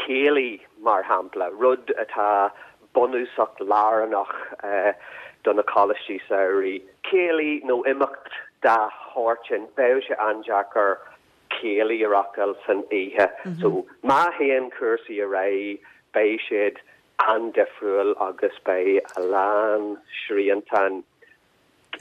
S6: céilí mar shampla, rud atá bunúsach lárnach do na coláistí samhraidh, céilí nó imeacht dá shórt sin, bheadh sé an-deacair céilí a reáchtáil san oíche. So má théann cúrsaí ar aghaidh, beidh siad an-difriúil agus beidh a lán sriantáin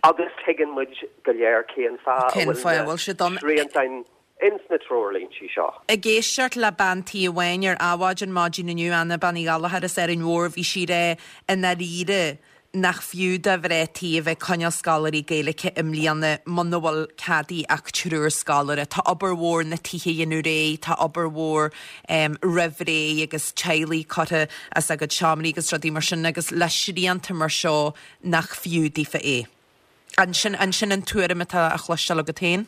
S6: agus tuigeann muid go léir cén fáth a bhfuil na sriantáin ins na treoirlíntí seo.
S1: Ag éisteacht le bean tí amháin ar Adhmhaidin maidin inniu, Anna Bean Uí Ghallchóir as Árainn Mhór, bhí sí ag rá i ndáiríre nach fiú do mhná tí a bheith ag coinneáil scoláirí Gaeilge i mbliana muna bhfuil ceadaithe ach triúr scoláire. Tá obair mhór na tithe a dhéanamh réidh, tá obair mhór roimh ré agus teaghlaigh curtha as a gcuid seomraí agus rudaí mar sin agus le srianta mar seo nach fiú daofa é. An sin an sin an tuairim atá á chloisteáil agat féin?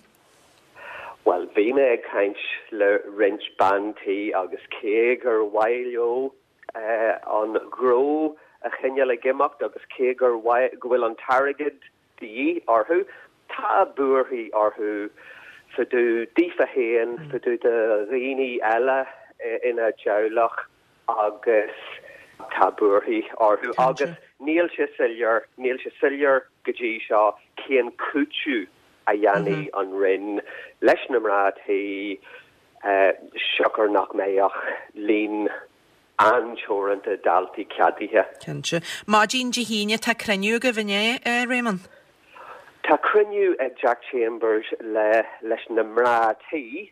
S6: Bhuel, bhí mé ag caint le roinnt bean tí agus cé gur mhaith leo an gnó a choinneáil ag imeacht agus cé gur mhaith go bhfuil an t-airgead de dhíth orthu, tá buarthaí orthu fá dtaobh daofa féin, fá dtaobh de dhaoine eile ina dteaghlach agus tá buarthaí orthu agus níl sé soiléir, níl sé soiléir go dtí seo cén cúiteamh a dhéanfaidh an Roinn leis na mná tí siocair nach mbeidh ach líon an-teoranta daltaí ceadaithe.
S1: Cinnte. Maidin Dé hAoine tá cruinniú agaibh, an ea, a Réamonn?
S6: Tá cruinniú ag Jack Chambers le leis na mná tí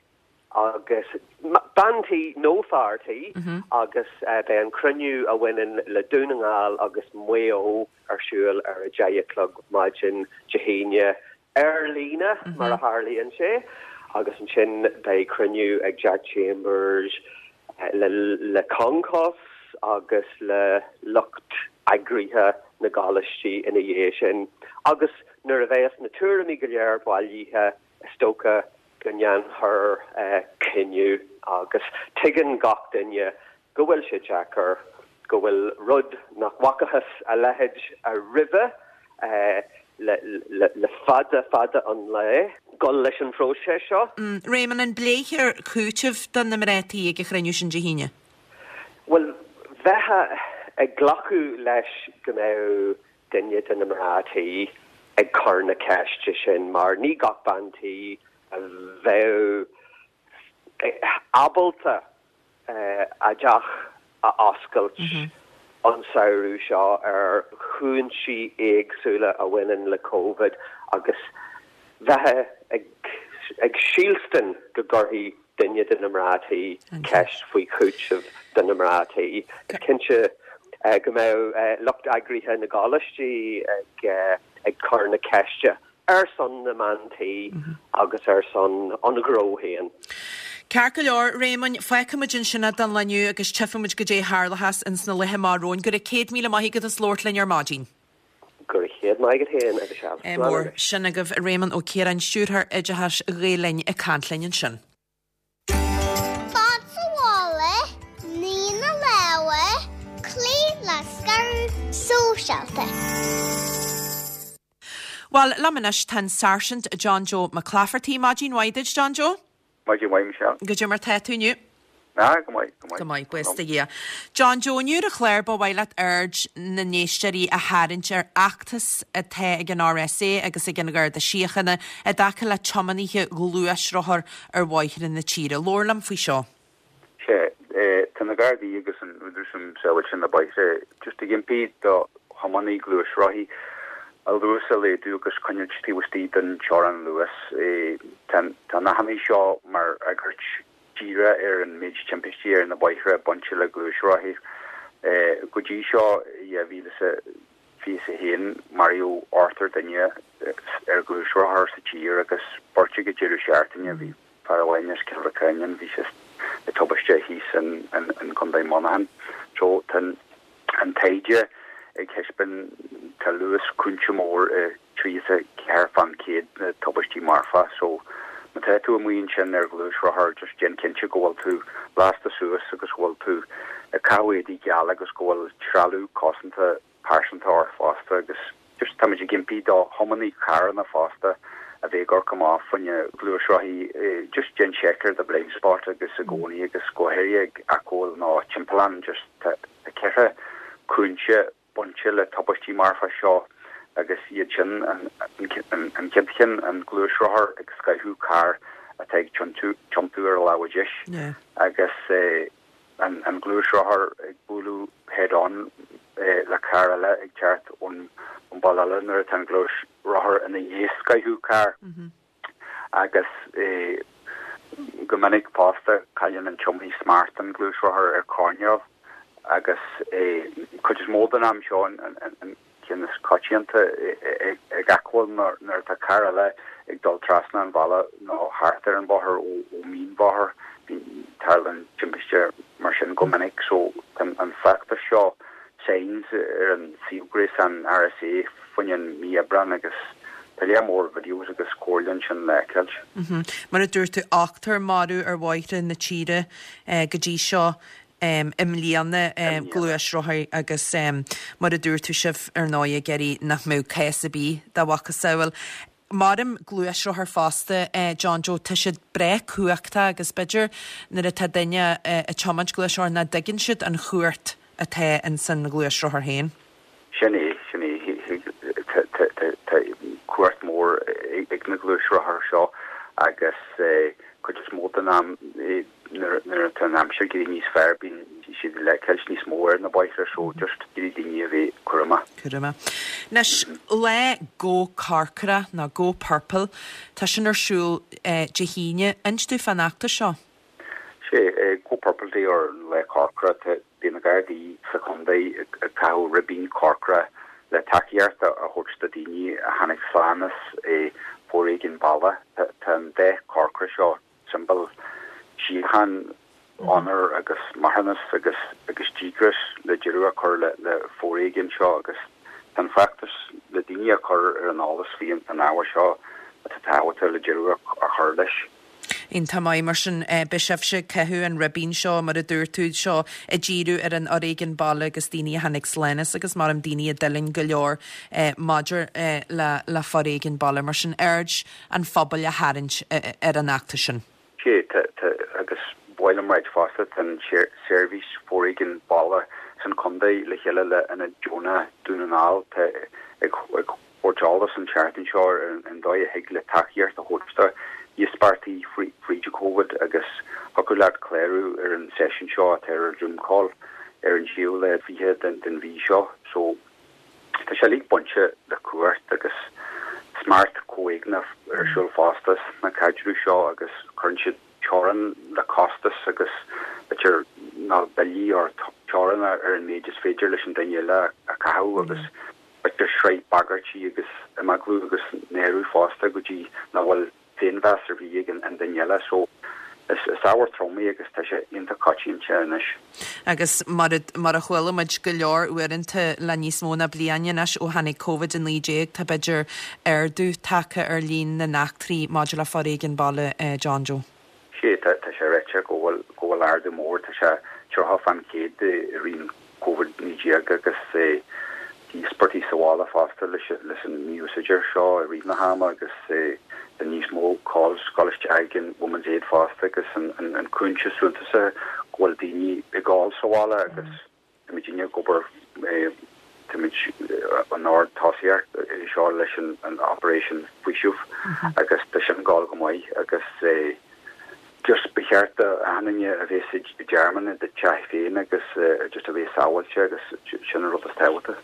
S6: agus bean tí nó fear tí agus beidh an cruinniú a bhaineann le Dún na nGall agus Maigh Eo ar siúl ar a deich a chlog maidin Dé hAoine ar líne mar a tharlaíonn sé agus ansin beidh cruinniú ag Jack Chambers le le Concos agus le lucht eagraithe na gcoláistí ina dhiaidh sin agus nuair a bheas na tuairimí go léir bailithe is dócha go ndéanfar cinneadh agus tuigeann gach duine go bhfuil sé deacair, go bhfuil rud nach bhfacathas a leithéid roimhe le le fada fada an lá dul leis an phróiseas seo.
S1: Réamonn, an bpléifear cúiteamh do na mná tí ag an chruinniú sin Dé hAoine?
S6: Bhuel, bheifeá ag glacadh leis go mbeadh duine de na mná tí ag cur na ceiste sin mar ní gach bean tí a bheadh ábalta a dteach a oscailt an samhradh seo ar chúinsí éagsúla a bhaineann le Covid agus bheifeá ag ag sílstin go gcuirfidh duine de na mná tí ceist faoi chúiteamh do na mná tí. Is cinnte go mbeadh lucht eagraithe na gcoláistí ag ag cur na ceiste ar son na mban tí agus ar son an ghnó féin.
S1: Ceart go leor, Réamoinn, fágfaimid ansin é don lá inniu agus tchífimid goidé a tharlóchas ins na laetha amach romhainn. Go raibh céad míle maith agat as labhairt linn ar maidin.
S6: Go raibh céad maith agat féin, a Mhichelle.
S1: Ádh mór. Sin agaibh Réamonn Ó Ciaráin, Stiúrthóir Oideachais Ghael Linn ag caint linn ansin.
S7: Fad sa mhála, ní na lámha, cloí le scaradh sóisialta.
S1: Bhuel, liom anois tá an Sáirsint John Joe Mac Laifeartaigh. Maidin mhaith duit, John Joe.
S8: Maidin mhaith, Michelle.
S1: Goidé mar tá tú inniu?
S8: Ah, go maith, go maith.
S1: Go maith, buíochas do Dhia. John Joe, inniu ar an chlár ba mhaith leat aird na n-éisteoirí a tharraingt ar fheachtas atá ag an RSA agus ag an Gharda Síochána i dtaca le tiománaithe gluaisrothar ar bhóithre na tíre. Labhair liom faoi seo.
S8: Sea, tá na Gardaí agus an Údarás um Sábháilteacht ar na Bóithre just ag impí do thiománaithe gluaisrothaí a luas a laghdú agus coinneáil taobh istigh den teorainn luais. Tá an achainí seo mar fhreagairt díreach ar an méid timpistí ar na bóithre bainte le gluaisrothaí. Go dtí seo i dhá mhíle is a fiche a haon maraíodh ochtar duine ar ghluaisrothar sa tír agus beirt ag an deireadh seachtaine. Bhí fear amháin as Cill Mhantáin, bhí sé i dtubaiste thíos in Contae Monaghan. So tá an taighde ag taispeáint tá luas cúinse mór i tríocha ceathair fán chéad na tubaistí marfa so Má tá tú amuigh ansin ar ghluaisrothar just déan cinnte go bhfuil tú lasta suas agus go bhfuil tú ag caitheamh éadaí geala agus go bhfuil trealamh cosanta pearsanta ort fosta agus just táimid ag impí do thiománaí carranna fosta a bheith ag amharc amach fá choinne gluaisrothaí just déan seic ar do blind spot agus i gcónaí agus go háirithe ag acomhal nó timpeallán just tá ceithre cúinse bainte le tubaistí marfa seo agus iad sin an chéad cheann an gluaisrothar ag scoitheadh carr atá ag tiontú ar a lámh dheis agus an gluaisrothar ag bualadh head on le carr eile ag teacht ón mball eile nuair atá an gluaisrothar ina dhiaidh scoitheadh carr agus go minic fosta cailleann an tiománaí smacht an ghluaisrothair ar choirnéal agus cuid is mó den am seo an ceann is coitianta ag acomhal nuair atá carr eile ag dul trasna an bhealaigh nó thart ar an bhóthar ó mhínbhóthar tarlaíonn timpiste mar sin go minic so an feachtas seo Signs ar an suíomh gréasáin RSA fá choinne mí Aibreán agus tá lear mór videos agus comhairle ansin le feiceáil.
S1: Mar a dúirt tú ochtar marbh ar bhóithre na tíre go dtí seo i mbliana gluaisrothair agus mar a dúirt tú sibh ar ndóigh ag iarraidh nach mbeadh cás ar bith dá mhacasamhail. Maram gluaisrothar fosta John Joe tá siad breá cumhachtach agus b'fhéidir nuair atá duine ag tiomáint gluaisrothar nach dtuigeann siad an chumhacht atá ins an ghluaisrothar féin.
S8: Sin é, sin é. Tá cumhacht mór ag na gluaisrothair seo agus cuid is mó den am nuair atá an aimsir ag éirí níos fearr bíonn siad le feiceáil níos mó ar na bóithre so just iarraidh daoine a bheith cúramach.
S1: Cúramach. Anois, lá Go Corcra nó Go Purple, tá sin ar siúl Dé hAoine. Inis dúinn fán fheachtas seo.
S8: Sé Go Purple Day or Lá Corcra, bíonn na Gardaí sa chontae ag caitheamh ribín corcra le tacaíocht a thabhairt do daoine a tháinig slán as foréigean baile. Tá an dath corcra seo siombail síocháin, onóir agus marthanas agus agus díograis le deireadh a chur le le foréigean seo agus tá an feachtas le daoine a chur ar an eolas faoi an ábhar seo atá tábhachtach le deireadh a chur leis.
S1: Iontach maith, mar sin beidh sibhse ag caitheamh an ribín seo mar a dúirt tú seo ag díriú ar an fhoréigean baile agus daoine a tháinig slán as agus maram daoine a d'fhulaing go leor maidir le le foréigean baile mar sin aird an phobail a tharraingt ar an fheachtas sin.
S8: Sé tá tá agus ba mhaith liom a ráit fosta tá an seirbhís foréigean baile san chontae le chéile le Ionad Deonach Dún na nGall tá ag ag thabhairt eolas an tseachtain seo ar an dóigh a thig le tacaíocht a thabhairt do íospartaigh fríd Covid agus thiocfadh leat clárú ar an seisiún seo atá ar Zoom call ar an séú lá fiche den den mhí seo so tá sé uilig bainte le cumhacht agus smacht comhéigneach ar siúl fosta sna caidrimh seo agus cuireann siad teorainn le costas agus b'fhéidir nó billí or teorainn ar an méid is féidir leis an duine eile a chaitheamh agus b'fhéidir sraith bagairtí agus imeaglú agus náiriú fosta go dtí nach bhfuil féinmheas ar bith ag an duine eile so is is ábhar trom é agus tá sé iontach coitianta anois.
S1: Agus mar a mar a chuala muid go leor uaireanta le níos mó ná bliain anois ó tháinig Covid a naoi déag tá b'fhéidir ardú tagtha ar líon na n-eachtraí maidir le foréigean baile John Joe.
S8: Sé tá tá sé ráite go bhfuil go bhfuil ardú mór tá sé tríocha fán chéad i rith Covid naoi déag agus íospartaigh sa bhaile fosta leis leis an mí-úsáid seo i rith na hama agus tá níos mó calls ag dul isteach ag an Women's Aid fosta agus an an an cúinse suntasach go bhfuil daoine ag gol sa bhaile agus táimid ag obair táimid an ard tosaíocht seo leis an an Operation Faoiseamh agus tá sin ag gol go maith agus just ba cheart do achan duine a bheith i dtearmann i do teach féin agus just a bheith sábháilte agus sin an rud is tábhachtaí.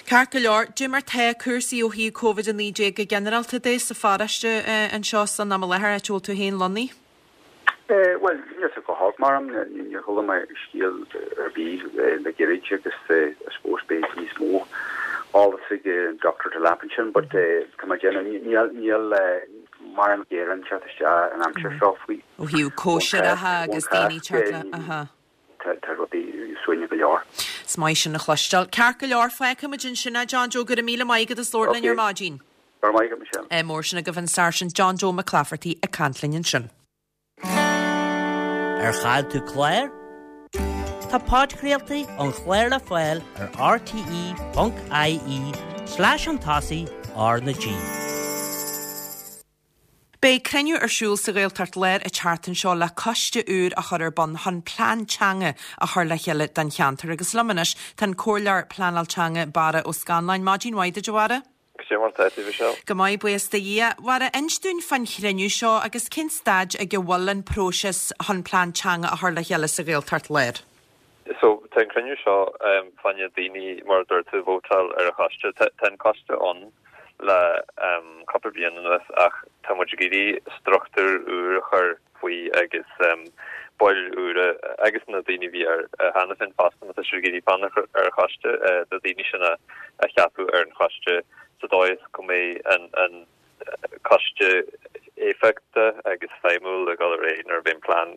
S1: Ceart go leor, cad é mar tá cúrsaí ó thaobh Covid a naoi déag go ginearálta de sa pharóiste anseo san am i láthair, áit a bhfuil tú féin lonnaithe?
S8: Bhuel, níl sé go holc maram, níor chuala mé scéal ar bith le gairid agus I suppose beidh níos mó eolas ag Dr. Delap ansin but tá mé ag déanamh níl níl mórán gearán ag teacht isteach an aimsir seo faoi.
S1: Ó thaobh cóisireacha agus daoine teacht le, aha.
S8: Tá rudaí suaimhneach go leor.
S1: Is maith sin a chloisteáil. Ceart go leor, fágfaimid ansin é, John Joe, go raibh míle maith agat as labhairt linn ar maidin.
S8: Go raibh maith agat, Michelle.
S1: Ádh mór sin agaibh an Sáirsint John Joe McClafferty ag caint linn ansin.
S3: Ar chaill tú clár? Tá podchraoltaí an chláir le fáil ar rte ponc ie slash an tosaigh R na G.
S1: Beidh cruinniú ar siúl sa Ghaeltacht Láir an tseachtain seo le coiste úr a chur ar bun chun plean teanga a chur le chéile don cheantar agus liom anois tá an Comhairleoir Pleanáil Teanga Barra Ó Scanláin. Maidin mhaith duit, a Bharra?
S9: Cad é mar tá tú, Michelle?
S1: Go maith, buíochas do Dhia. Bharra, inis dúinn fán chruinniú seo agus cén staid ag a bhfuil an próiseas chun plean teanga a chur le chéile sa Ghaeltacht Láir?
S9: So tá an cruinniú seo fá choinne daoine mar a dúirt tú vótáil ar an choiste. Tá an coiste ann le cúpla bliain anuas ach tá muid ag iarraidh struchtúr úr a chur faoi agus baill úra agus na daoine a bhí air cheana féin fosta má tá siad ag iarraidh fanacht ar an choiste, na daoine sin a cheapadh ar an choiste sa dóigh is go mbeidh an an coiste éifeachtach agus feidhmiúil ag dul ar aghaidh nuair a bheidh an plean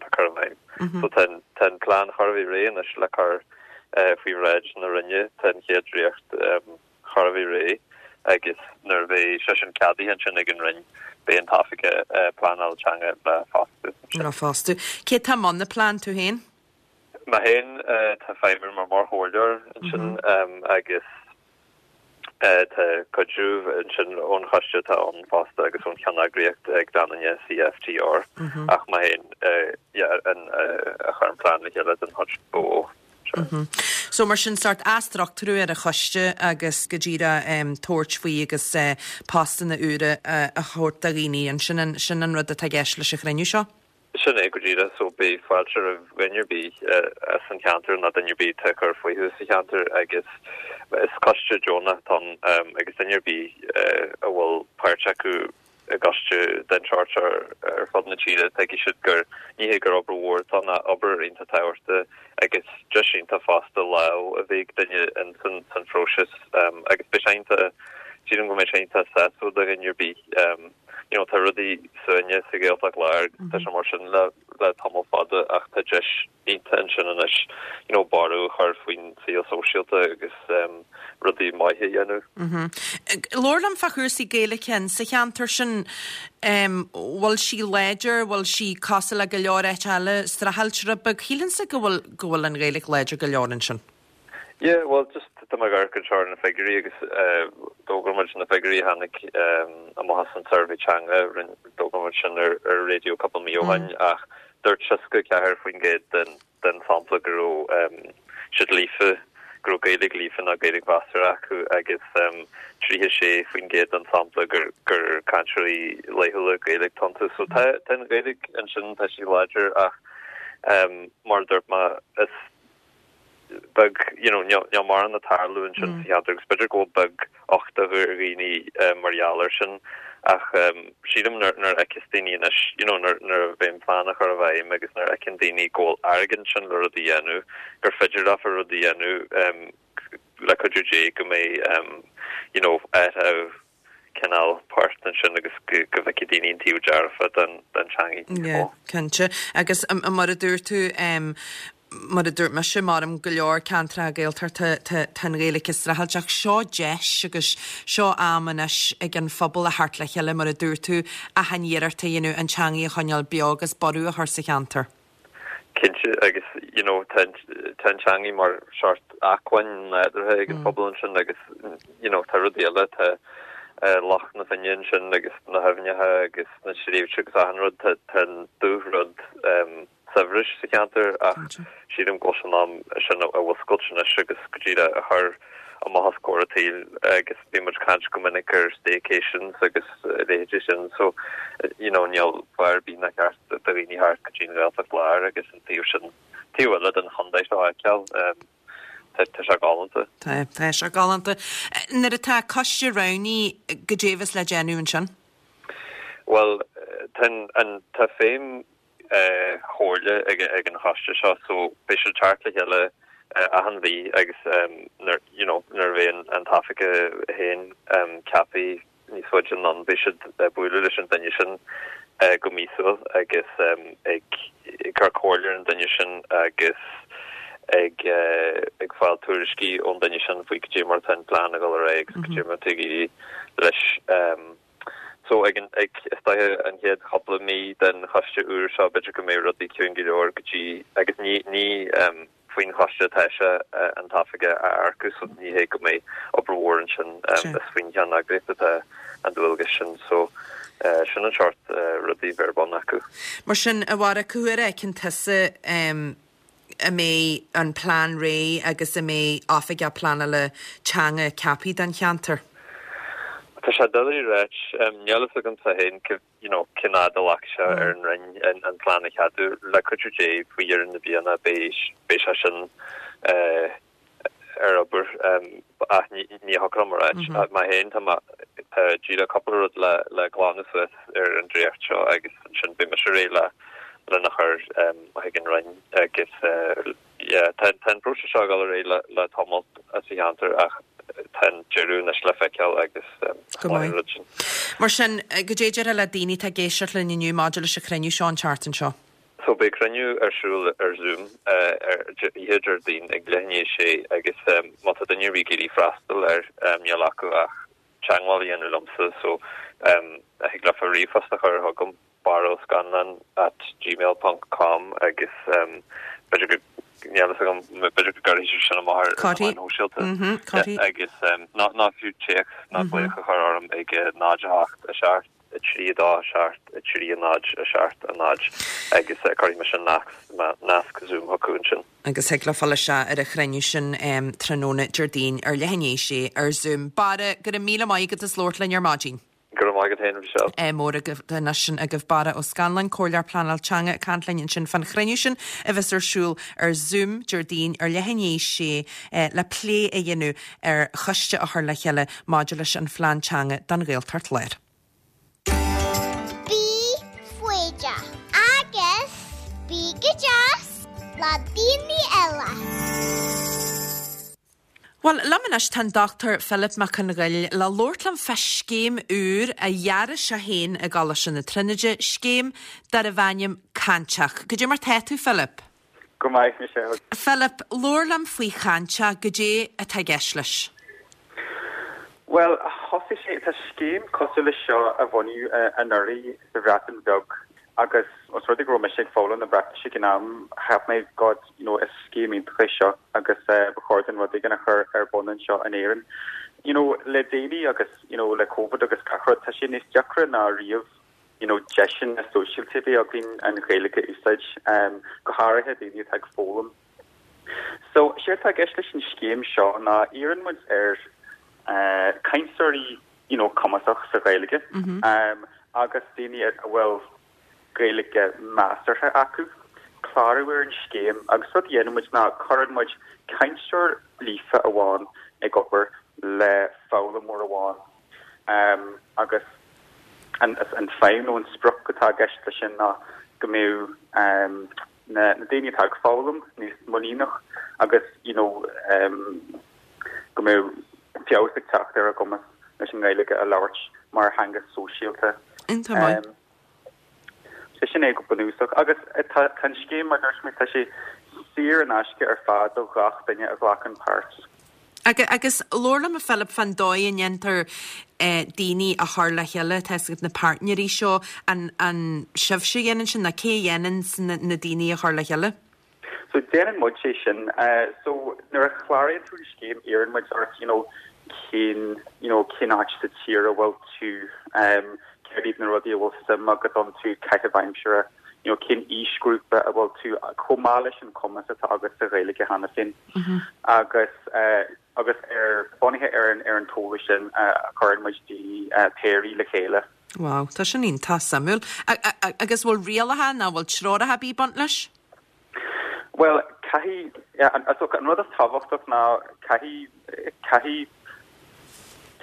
S9: le cur i bhfeidhm. So tá an plean chóir a bheith réidh anois le cur faoi bhráid na Roinne, tá an chéad dréacht chóir a bheith réidh agus nuair a bheidh sé sin ceadaithe ansin ag an Roinn, beidh an t-oifigeach pleanáil teanga le fostú.
S1: Le fostú. Cé tá i mbun an plean, tú féin?
S9: Mé féin tá ag feidhmiú mar mar chomhairleoir ansin agus tá cuidiú ansin ón choiste atá ann fosta agus ón cheanneagraíocht ag Danann CFTR ach mé féin a chuir an plean le chéile den chuid ba mhó.
S1: So mar sin sórt athstruchtúrú ar an choiste agus go díreach tabhairt faoi agus postanna úra a thabhairt do dhaoine, an sin an sin an rud atá i gceist leis an chruinniú seo?
S9: Sin é go díreach. So beidh fáilte roimh dhuine ar bith as an cheantar nó duine ar bith atá ag cur fúthu sa cheantar agus is coiste deonach atá ann agus duine ar bith a bhfuil páirt acu i gcoiste den tsórt seo ar fud na tíre, tuigfidh siad gur ní hé gur obair mhór atá ann ach obair iontach tábhachtach agus deis iontach fosta lámh a bheith ag duine in san san phróiseas agus beidh sé iontach, sílim go mbeidh sé iontach sásúil do dhuine ar bith. You know, tá rudaí suaite sa Ghaeltacht Láir agus tá sé mar sin le le tamall fada ach tá deis iontach ansin anois you know, borradh a chur faoin saol sóisialta agus rudaí maithe a dhéanamh.
S1: Labhair liom fá chúrsaí Gaeilge sa cheantar sin, bhfuil sí láidir, bhfuil sí cosúil le go leor áit eile, streachailt rud beag? Shílfinnse go bhfuil go bhfuil an Ghaeilge láidir go leor ansin.
S9: Yeah, well just tá mé ag amharc anseo ar na figiúirí agus d'fhógair muid na figiúirí a tháinig amach as an suirbhé teanga, d'fhógair muid sin ar ar raidió cúpla mí ó shin ach dúirt seasca a ceathair faoin gcéad den den sampla go raibh siad líofa, go raibh Gaeilge líofa nó Gaeilge mheasartha acu agus tríocha sé faoin gcéad den sampla gur gur cainteoirí laethúla Gaeilge atá iontu. So tá tá an Ghaeilge ansin, tá sí láidir ach mar a dúirt mé is beag, you know, níl níl mórán ag tarlú ansin sa cheantar agus b'fhéidir go bhfuil beag-uchtach ar dhaoine mar gheall air sin ach sílim nuair nuair a fheiceas daoine anois, you know, nuair nuair a bheidh an plean á chur i bhfeidhm agus nuair a fheiceann daoine go bhfuil airgead ansin le rud a dhéanamh, gur féidir leofa rud a dhéanamh le cuidiú Dé go mbeidh, you know, athrú cineál poirt ansin agus go go bhfeicfidh daoine an taobh dearfa den den teangaidh níos
S1: Yeah,
S9: mó.
S1: cinnte. Agus mar a dúirt tú, mar a dúirt mise, maram go leor ceantracha Gaeltachta tá tá an Ghaeilge ag streachailt ach seo deis agus seo am anois ag an phobal a theacht le chéile mar a dúirt tú, achan iarracht a dhéanamh an teangaidh a choinneáil beo agus borradh a chur sa cheantar.
S9: Cinnte agus you know tá tá an teangaidh mar seort acmhainn nádúrtha ag an phobal ansin agus you know tá rudaí eile tá Loch na Finne ansin agus na haibhneacha agus na sléibhte agus achan rud tá tá an dúshrud saibhris sa cheantar ach sílim go bhfuil sé in am sin a mhúscailt anois agus go díreach a chur amach os comhair an tsaoil agus bíonn muid ag caint go minic ar staycations agus a leithéidí sin so you know níl fáth ar bith nár cheart do dhaoine theacht go dtí an Ghaeltacht Láir agus an taobh sin taobh eile den chontae seo a fheiceáil. Tá tá sé galánta.
S1: Tá tá sé galánta. Nuair atá coiste roghnaithe goidé a bheas le déanamh ansin?
S9: Bhuel tá an tá feidhm chomhairle ag ag an choiste seo so beidh siad ag teacht le chéile achan mhí agus nuair you know nuair a bheidh an an t-oifigeach féin ceaptha níos faide anonn beidh siad ag bualadh leis an duine sin go míosúil agus ag cur comhairle ar an duine sin agus ag ag fáil tuairiscí ón duine sin faoi cad é mar atá an plean ag dul ar aghaidh agus cad é mar atá ag éirí leis. So ag an ag is dóiche an chéad chúpla mí den choiste úr seo b'fhéidir go mbeidh rudaí ciúin go leor go dtí agus ní ní faoin choiste atá sé an t-oifigeach a earcú so ní hé go mbeidh obair mhór ansin is faoin cheanneagraíocht atá an dualgas sin so sin an seort rudaí a bheidh ar bun acu.
S1: Mar sin, a Bharra, cá huair a fheiceann tusa a mbeidh an plean réidh agus a mbeidh oifigeach pleanála teanga ceaptha don cheantar?
S9: Tá sé doiligh a ráit. Níl a fhios agamsa féin you know cén fhad a ghlacfaidh sé ar an Roinn an plean a cheadú. Le cuidiú Dé faoi dheireadh na bliana beidh beidh sé sin ar obair ach ní ní thiocfadh liom a ráit. Mé féin tá mé tá díreach cúpla rud le le glanadh suas ar an dréacht seo agus ansin beidh mise réidh le lena chur chuig an Roinn agus yeah tá tá an próiseas seo ag dul ar aghaidh le le tamall sa cheantar ach tá an deireadh anois le feiceáil agus
S1: Go maith. rud sin. Mar sin, cad é a déarfá le daoine atá ag éisteacht linn inniu maidir leis an chruinniú seo an tseachtain seo?
S9: So beidh cruinniú ar siúl ar Zoom ar oíche Déardaoin ag leath i ndiaidh a sé agus má tá duine ar bith ag iarraidh freastal air níl acu ach teagmháil a dhéanamh liomsa so thig leofa ríomhphost a chur chugam barra ó scanláin at gmail ponc com agus b'fhéidir go níl a fhios agam b'fhéidir go gcuirfidh siad sin amach ar na meáin shóisialta agus nó fiú téacs nó glaoch a chur orm ag náid a hocht a seacht a trí a dó a seacht a trí a náid a seacht a náid agus cuirfidh mise nasc Zoom chucu ansin.
S1: Agus thig leo fáil isteach ar an chruinniú sin tráthnóna Déardaoin ar leath i ndiaidh a sé ar Zoom. Barra, go raibh míle maith agat as labhairt linn ar maidin.
S9: Go raibh maith agat féin, Michelle.
S1: Ádh mór agaibh anois sin agaibh Barra Ó Scanláin, Comhairleoir Pleanáil Teanga ag caint linn ansin fán chruinniú sin a bheas ar siúl ar Zoom Déardaoin ar leath i ndiaidh a sé le plé a dhéanamh ar choiste a chur le chéile maidir leis an phlean teanga don Ghaeltacht Láir.
S7: Bí foighdeach agus bí go deas le daoine eile.
S1: Bhuel, liom anois tá an Dochtúir Philip Mac Conghail le labhairt liom fá scéim úr a dhearaigh sé féin i gColáiste na Tríonóide, scéim darbh ainm Cainteach. Cad é mar tá tú, Philip?
S10: Go maith, Michelle.
S1: Philip, labhair liom faoi Chainteach, cad é atá i gceist leis?
S10: Bhuel, thosaigh sé, tá scéim cosúil leis seo a bunaíodh anuraidh sa Bhreatain Bheag agus os rud é go raibh mise ag foghlaim na Breatnaise ag an am, cheap mé God, you know, is scéim iontach é seo agus ba chóir dúinn rud éigin a chur ar bun anseo in Éirinn. You know, le déanaí agus, you know, le Covid agus gach rud, tá sé níos deacra ná riamh, you know, deiseanna sóisialta a bheith againn an Ghaeilge a úsáid, um, go háirithe daoine atá ag foghlaim. So, séard atá i gceist leis an scéim seo ná iarrann muid ar uh, cainteoirí, you know, cumasach sa Ghaeilge, mm -hmm. um, agus daoine a bhfuil Gaeilge measartha acu, clárú ar an scéim agus rud a dhéanann muid ná cuireann muid cainteoir líofa amháin ag obair le foghlaimeoir amháin agus an an feidhm nó an sprioc atá i gceist leis sin ná go mbeadh na daoine atá ag foghlaim níos muiníneach agus you know go mbeadh feabhas ag teacht ar a gcumas leis an nGaeilge a labhairt mar theanga sóisialta.
S1: Iontach maith.
S10: Sé sin é go bunúsach. Agus tá an scéim, mar a dúirt mé, tá sé saor in aisce ar fad do ghach duine a ghlacann páirt.
S1: Agus labhair liom, a Philip, fán dóigh a ndéantar daoine a chur le chéile, tá a fhios agat na páirtnéirí seo, an an sibhse a dhéanann sin nó cé a dhéanann na daoine a chur le chéile?
S10: So déanann muid é sin. So nuair a chláraíonn tú an scéim iarrann muid ort you know cén you know cén áit sa tír a bhfuil tú, céard iad na rudaí a bhfuil suim agat iontu, caitheamh aimsire, you know cén aoisghrúpa a bhfuil tú, chomh maith leis an cumas atá agat sa Ghaeilge cheana féin. Agus agus ar bunaithe ar an ar an t-eolas sin a chuireann muid daoine péirí le chéile.
S1: Wow, tá sin iontach suimiúil. Agus bhfuil rialacha nó bhfuil treoracha ar bith ag baint leis?
S10: Bhuel, caithfidh, an rud is tábhachtach ná caithfidh, caithfidh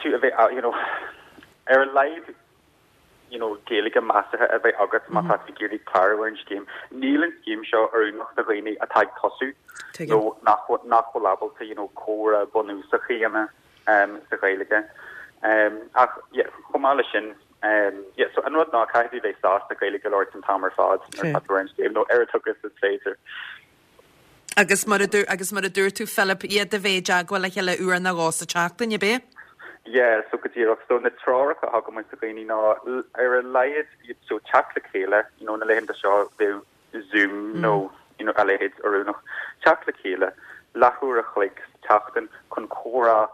S10: tú a bheith, you know, ar a laghad, you know, Gaeilge measartha a bheith agat má tá tú ag iarraidh clárú ar an scéim. Níl an scéim seo oiriúnach do dhaoine atá ag tosú nó nach nach bhfuil ábalta, you know, comhrá bunúsach a dhéanamh sa Ghaeilge. Ach, yeah, chomh maith leis sin, yeah, so an rud ná caithfidh tú bheith sásta Gaeilge a labhairt an t-am ar fad nuair atá tú ar an scéim, nó ar a thugas is féidir.
S1: Agus mar a dúirt agus mar a dúirt tú Philip, iad a bheith i dteagmháil le chéile uair nó dhó sa tseachtain, ab é?
S10: Yeah, so go díreach. So na treoracha a thugann muid do dhaoine ná ar a laghad so teacht le chéile, you know, na laethanta seo bheadh Zoom nó you know, a leithéid oiriúnach. Teacht le chéile leathuair a chloig sa tseachtain chun comhrá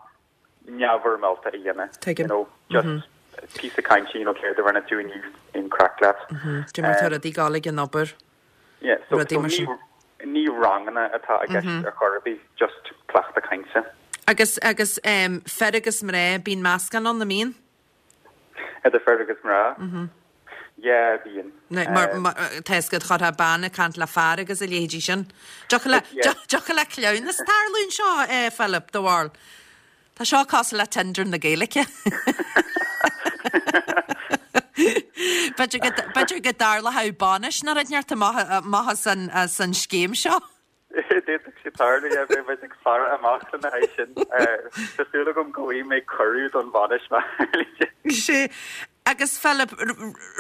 S10: neamhfhoirmeálta a dhéanamh.
S1: Tuigim.
S10: You know, just mm -hmm. píosa cainte, you know, céard a rinne tú inniu an craic leat.
S1: Cad é mar tá rudaí ag gabháil ag an obair.
S10: Yeah, so,
S1: Rudaí
S10: so
S1: mar
S10: ní,
S1: sin.
S10: ní ranganna atá i gceist ar chor ar bith, just cleachtadh cainte.
S1: Agus agus um, fir agus mná bíonn meascán ann an mbíonn?
S10: Idir fir agus mná. Mm -hmm. Yeah, bíonn.
S1: Ne, mar, mar, tá fhios agat chuirfeá bean ag caint le fear agus a leithéidí sin. Dtiocfadh le
S10: Yeah.
S1: dtiocfadh le cleamhnas tarlú anseo, eh, Philip, do bharúil. Tá seo cosúil le Tinder na Gaeilge. B'fhéidir go b'fhéidir go dtarlódh bainis nó rud inteacht amach amach as an as an scéim seo.
S10: D'fhéadfadh sé tarlú yeah, beidh muid ag faire amach lena haghaidh sin. Tá súil agam go bhfaighidh mé cuireadh don bhainis mar
S1: Sé agus Philip,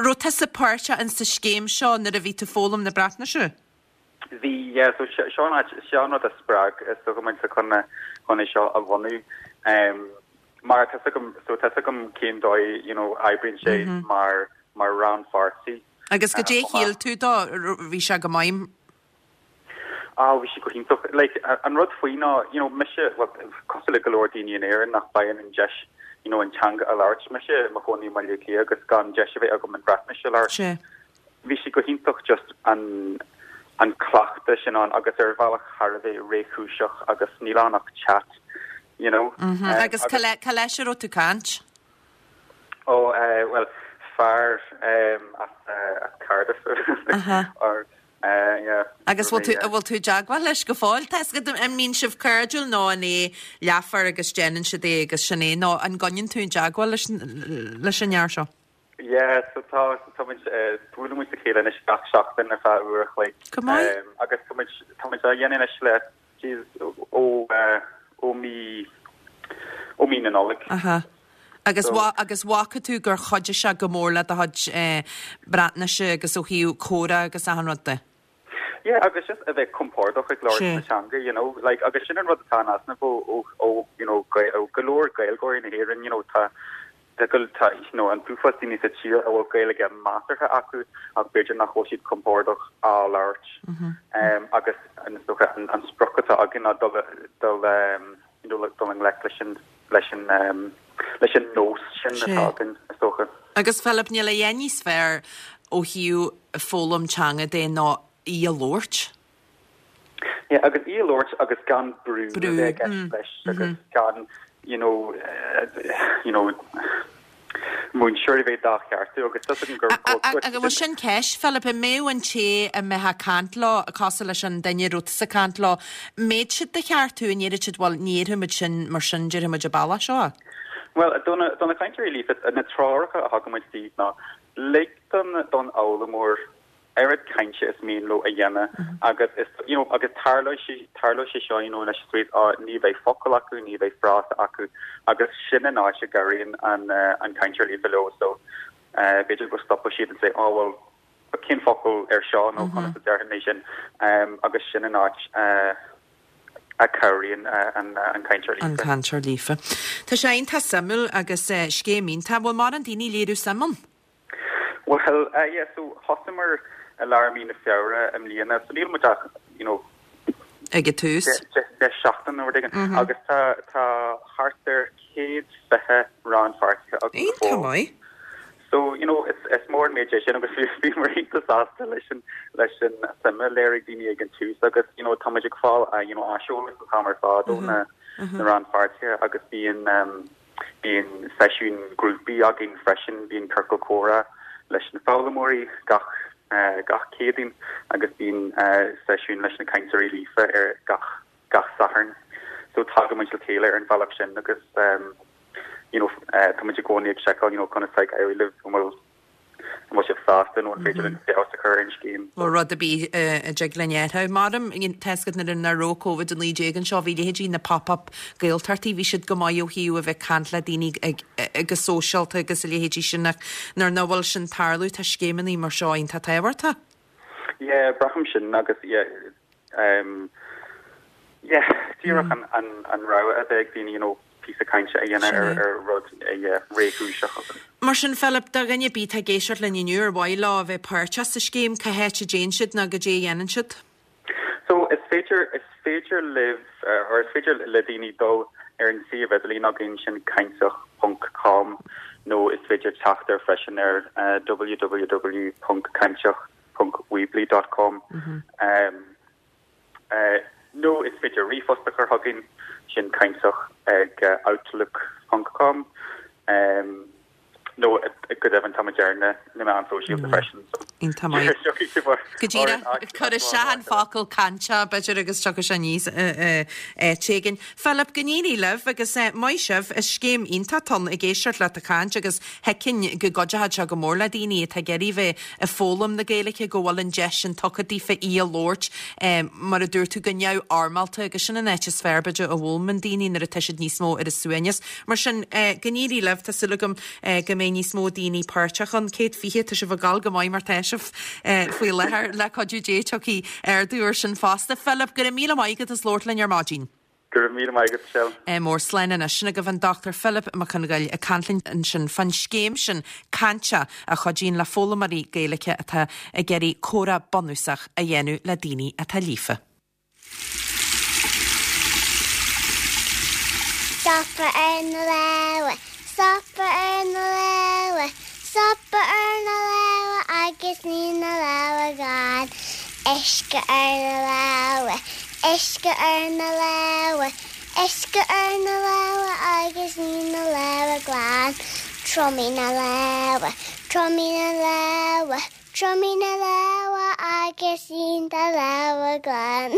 S1: raibh tusa páirteach in sa scéim seo nuair a bhí tú foghlaim na Breatnaise?
S10: Bhí yeah, so se- seo an áit- seo an rud a spreag is dócha muid chun chun é seo a bhunú. Um, mar tá agam so tá agam cén dóigh you know, oibríonn sé mar mar rannpháirtí.
S1: Agus go dé
S10: chomh maith.
S1: shíl tú dó bhí sé go maith.
S10: Ah, bhí sé go hiontach. Like, a- an rud faoi ná, you know, mise, well, cosúil le go leor daoine in Éirinn nach bhfaigheann an deis, you know, an teanga a labhairt. Mise i mo chónaí i mBaile Átha Cliath agus gan deis a bheith agam an Bhreatnais a labhairt.
S1: Sé.
S10: Bhí sé go hiontach just an an cleachtadh sin ann agus ar bhealach thar a bheith réchúiseach agus níl ann ach chat, you know.
S1: Mm
S10: Um,
S1: Agus cá le- cá leis a raibh tú caint?
S10: Oh, uh, well, fear um, as, uh, as Cardiff.
S1: Aha.
S10: or, uh, yeah.
S1: Agus bhfuil tú
S10: Yeah.
S1: bhfuil tú i dteagmháil leis go fóill Tá go an mbíonn sibh cairdiúil nó an é leathuair agus déanann siad é agus sin é nó an gcoinníonn tú i dteagmháil leis leis an fhear seo.
S10: Yeah, so tá tá muid uh, buaileann muid le chéile anois gach seachtain ar feadh uair a chloig.
S1: Go maith.
S10: Um, agus tá muid tá muid á dhéanamh anois le geez, ó uh, ó mí ó mí na Nollag.
S1: Aha. Agus
S10: So-
S1: wa agus bhfaca tú gur chuidigh sé go mór le do chuid eh, Breatnaise agus ó thaobh comhrá agus achan rud de.
S10: Yeah, agus just a bheith compordach ag labhairt
S1: Sé.
S10: na teanga, you know, like agus sin an rud atá in easnamh ó ó ó you know Gael- ó go leor Gaeilgeoirí na hÉireann, you know, tá tá go tá you know an t-uafás daoine sa tír a bhfuil Gaeilge measartha acu ach b'fhéidir nach bhfuil siad compordach á labhairt. Um, agus an is dócha an, an sprioc atá againn ná dul dul um, you know, dul i ngleic leis an leis an um, leis an nós sin
S1: Sé.
S10: atá againn is dócha.
S1: Agus Philip níl a dhath níos fearr ó thaobh foghlaim teanga de ná í a labhairt.
S10: Yeah, agus í a labhairt agus gan brú
S1: Brú,
S10: a bheith
S1: mm,
S10: leis agus gan you know uh, you know múinteoir a bheith dá cheartú agus tá gur
S1: Agus bhfuil sin ceist Philip an mbeadh an té a mbeifeá ag caint leo cosúil leis an duine a raibh tusa ag caint leo, mbeadh siad do cheartú an ndéarfadh siad bhuel ní déarfaimid sin mar sin déarfaimid an bealach seo.
S10: Well don don na cainteoirí líofa na treoracha a thugann muid dóibh ná lig don don fhoghlaimeoir oiread cainte is mian leo a dhéanamh agus is you know agus tarlóidh sé tarlóidh sé seo you know leis street á ní bheidh focal acu ní bheidh frása acu agus sin an áit a gcabhraíonn an uh, an cainteoir líofa leo so uh, b'fhéidir go stopfaidh siad and say oh well cén focal ar seo nó conas a déarfainn é sin um, agus sin an áit uh, a chabhraíonn uh, an uh, an cainteoir
S1: An
S10: líofa.
S1: cainteoir líofa. Tá sé iontach suimiúil agus uh, scéim iontach bhfuil mórán daoine léiriú suim ann.
S10: Well, uh, yeah, so thosaíomar i lár mí na Feabhra i mbliana, so níl muid ach, you know,
S1: ag an tús.
S10: de seachtain nó rud éigin agus tá tá thart ar céad fiche rannpháirtithe agus
S1: Iontach maith.
S10: So, you know, it's it's mór an méid é sin agus bhí bhí mar iontach sásta leis an leis an suim a léirigh daoine ag an tús agus you know, tá muid ag fáil uh, you know, aiseolas an t-am ar fad ó na na rannpháirtithe agus bíonn um, bíonn seisiún grúpaí againn freisin bíonn ciorcal comhrá leis na foghlaimeoirí gach uh, gach Céadaoin agus bíonn uh, seisiún leis na cainteoirí líofa ar gach gach Satharn. So tagann muid le chéile ar an bhealach sin agus um, you know, uh, tá muid i gcónaí ag seiceáil you know, conas ag éirí libh an bhfuil an bhfuil sibh sásta nó an féidir linn feabhas a chur ar an scéim.
S1: Ó rud a bí a dtig linn athrú. Maram tá a fhios agat nuair nach raibh Covid a naoi déag anseo bhí leithéidí na pop-up Gaeltachtaí bhí siad go maith ó thaobh a bheith caint le daoine ag agus sóisialta agus a leithéidí sin ach nuair nach bhfuil sin tarlú tá scéimeanna mar seo iontach tábhachtach.
S10: Yeah, braithim sin agus yeah, um, Yeah, díreach an an an rogha a bheith ag daoine you know píosa cainte a dhéanamh ar ar rud yeah réchúiseach agus.
S1: Mar sin Philip, do dhuine ar bith atá ag éisteacht linn inniu ar mhaith leo a bheith páirteach sa scéim, cá háit a dtéann siad nó goidé a dhéanann siad?
S10: So is féidir is féidir libh or is féidir le daoine dul ar an suíomh idirlín againn sin cainteach ponc com nó is féidir teacht air freisin ar www ponc cainteach ponc weebly dot com nó is féidir ríomhphost a chur chugainn sin cainteach ag outlook ponc com. Nó go deimhin táimid ar na meáin shóisialta freisin.
S1: Iontach maith. Go díreach, cuir isteach an focal cainteach b'fhéidir agus tiocfaidh sé aníos áit éigin. Philip, go n-éirí libh agus maith sibh, is scéim iontach atá ann ag éisteacht leat ag caint agus thuigfinn go gcuideochadh sé go mór le daoine atá ag iarraidh bheith ag foghlaim na Gaeilge go bhfuil an deis sin tugtha daofa í a labhairt mar a dúirt tú go neamhfhoirmeálta agus sin an áit is fearr b'fhéidir a bhfoghlaimíonn daoine nuair atá siad níos mó ar a suaimhneas. Mar sin, go n-éirí libh, tá súil agam go mbeidh níos mó daoine páirteach ann. Céad fiche, tá sibh ag gabháil go maith mar tá sibh faoi láthair, le cuidiú Dé tiocfaidh ardú ar sin fosta. Philip, go raibh míle maith agat as labhairt linn ar maidin.
S10: Go raibh míle maith agat, Michelle.
S1: Mór slán anois. Sin agaibh an Dochtúir Philip Mac Congail ag caint linn ansin fán scéim sin Cainteach a chuidíonn le foghlaimeoirí Gaeilge atá ag iarraidh comhrá bunúsach a dhéanamh le daoine atá líofa.
S7: Stopadh ar na lámha, stopadh ar na lámha, stopadh ar na lámha agus ní na lámha glan. Uisce ar na lámha, uisce ar na lámha, uisce ar na lámha agus ní na lámha glan. Triomaigh na lámha, triomaigh na lámha, triomaigh na lámha agus ní na lámha glan.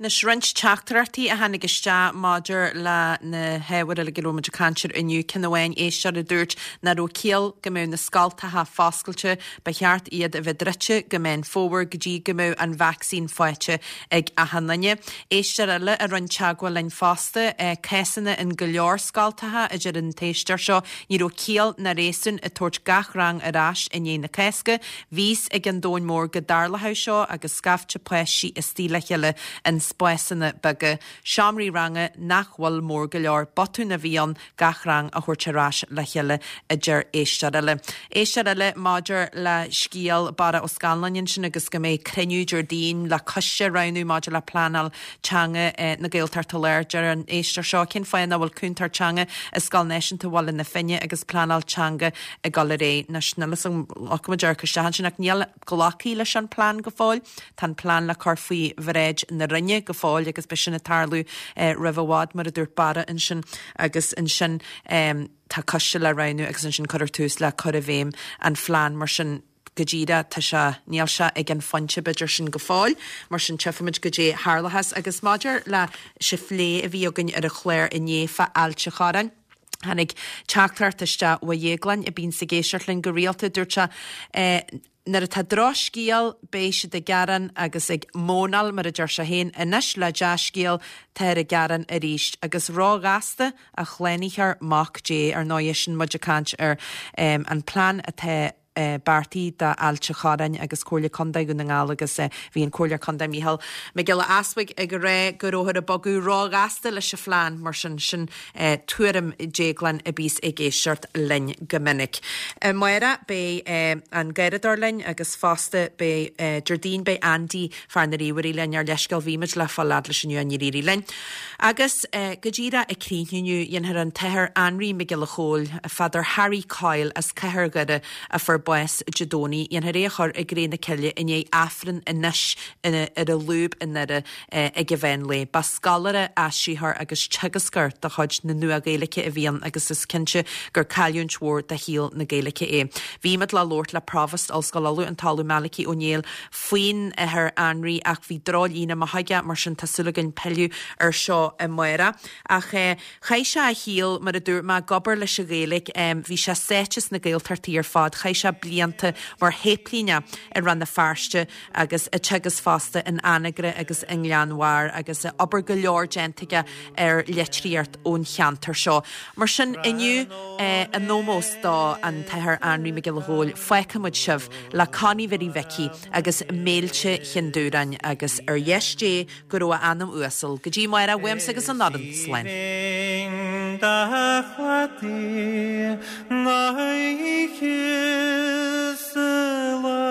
S1: Anois roinnt teachtaireachtaí a tháinig isteach maidir le na hábhair uilig a raibh muid ag caint air inniu. Ceann amháin, éisteoir a dúirt nach raibh ciall go mbeadh na scoltacha foscailte, ba cheart iad a bheith druidte go Meán Fómhair go dtí go mbeadh an vacsaín faighte ag achan duine. Éisteoir eile a rinne teagmháil linn fosta, cásanna in go leor scoltacha, a deir an t-éisteoir seo, ní raibh ciall ná réasún ag tabhairt gach rang ar ais i ndiaidh na Cásca. Bhí fhios ag an domhan mór go dtarlódh seo agus scaifte páistí istigh le chéile in spásanna beaga, seomraí ranga nach bhfuil mór go leor, botún a bhí ann gach rang a thabhairt ar ais le chéile, a deir éisteoir eile. Éisteoir eile maidir le scéal Barra Ó Scanláin ansin agus go mbeidh cruinniú Déardaoin le coiste a roghnú maidir le pleanáil teanga na Gaeltachta Láir. Deir an éisteoir seo, cén fáth nach bhfuil cúntóir teanga i Scoil Náisiúnta Bhaile na Finne agus pleanáil teanga ag dul ar aghaidh? Anois, níl fhios agam, ghlacfaimid amharc isteach ansin ach níl glactha leis an plean go fóill. Tá an plean le cur faoi bhráid na Roinne go fóill agus beidh sin ag tarlú roimh i bhfad, mar a dúirt Barra ansin, agus ansin tá coiste le roghnú agus ansin cuirfear tús le cur i bhfeidhm an phlean. Mar sin, go díreach, tá sé, níl sé ag an phointe b'fhéidir sin go fóill, mar sin tchífimid goidé tharlóchas. Agus maidir leis an phlé a bhí againn ar an chlár inné fá Ailt an Chorráin, Tháinig teachtaireacht isteach ó Dhéaglán, a bíonns ag éisteacht linn go rialta. Dúirt sé, Nuair atá drochscéal, beidh siad ag gearán agus ag mónáil, mar a deir sé féin. Anois le dea-scéal, táthar ag gearán arís. Agus róghasta a shlánaitheoir Mac Dé. Ar ndóigh, sin muid ag caint ar an plean atá beartaithe d'Ailt an Chorráin agus Comhairle Contae Dhún na nGall agus bhí an Comhairleoir Contae Mícheál Mac Giolla Easbuig ag rá go rabhthar ag bogadh róghasta leis an phlean, mar sin, sin tuairim Déagláin a bíos ag éisteacht linn go minic. Amárach beidh an Garradóir linn agus fosta beidh Déardaoin beidh Andy fear na ríomhairí linn ár leithscéal bhí muid le fáil fhad leis inniu níor éirigh linn. Agus go díreach ag críochnú inniu dhéanfar an tAthair Anraí Mac Giolla Chóill, Father Harry Coyle as Cathair Dhoire a fuair bás Dé Domhnaigh. Dhéanfar é a chur i gcré na cille i ndiaidh Aifreann anois ar an lúb i nDoire ag an mheán lae. Ba scoláire, aistritheoir agus teagascóir de chuid na Nua-Ghaeilge a bhí ann agus is cinnte gur cailliúint mhór do shaol na Gaeilge é. Bhí muid le labhairt le Provost Ollscoil Uladh, an tOllamh Malachy Ó Néill, faoin Athair Anraí ach bhí drochlíne amach aige, mar sin tá súil againn pilleadh ar seo amárach. Ach chaith sé a shaol, mar a dúirt mé, ag obair leis an Ghaeilge. Bhí sé sáite sna Gaeltachtaí ar fad. Chaith sé sé blianta mar shéiplíneach i Rann na Feirste agus ag teagasc fosta in Anagaire agus i nGleann Bharr agus obair go leor déanta aige ar litríocht ón cheantar seo. Mar sin inniu eh, in ómós do an tAthair Anraí Mac Giolla Chóill fágfaimid sibh le Connie Bhiddy Mhicí agus Méilte Chinn Dúráin agus ar dheis Dé go raibh a anam uasal go dtí amárach uaimse agus an fhoireann slán.
S11: Da chladaí na oíche sa lá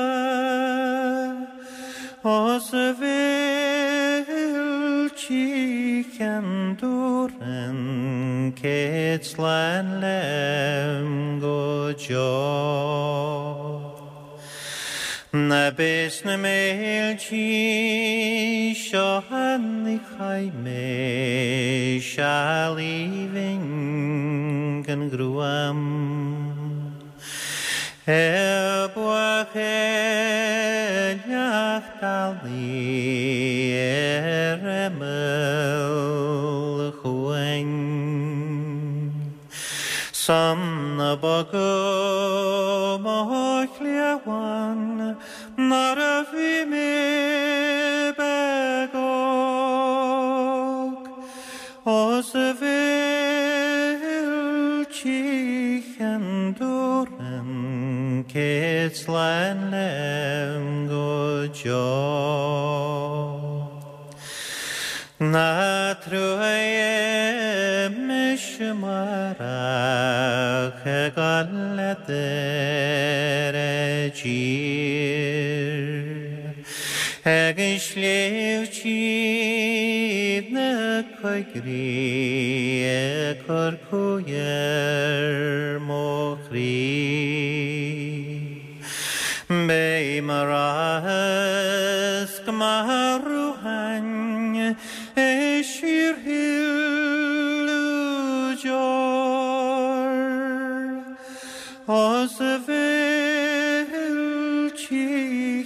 S11: Os a bhféiltí Cheann Dúrainn céad slán lem go deo. Na bes na méiltí seo ní chaith mé seal aoibhinn gan ghruaim. Ar buachailleacht bealaigh ar imeall an chuain. San a bogadh mo chliabhán nuair a bhí mé beag óg Os a bhféiltí Cheann Dúrainn céad slán lem go deo. Ná truaigh mise amárach ag gabháil leat ar an dtír. Ag an sliabh tríd na coigrí ag cur cumhaidh ar mo chroí. Beidh mo rachas go maith romhainn i síorshileadh deor. Os a bhféiltí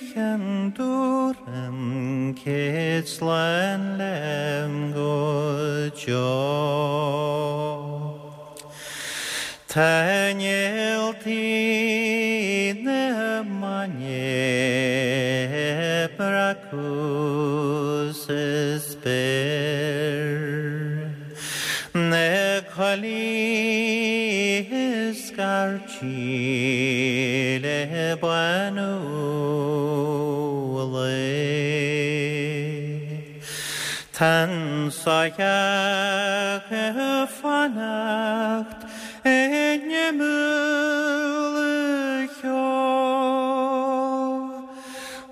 S11: Cheann Dúrainn céad slán lem go deo. Tá néaltaí na mainne ag breacadh sa spéir. Na coiligh ag scairtigh le bánú an lae. Tá an soitheach ag fanacht in imeall an cheo.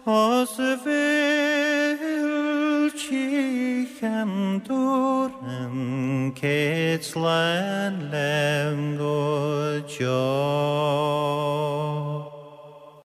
S11: Os a bhféiltí Cheann Dúrainn céad slán lem go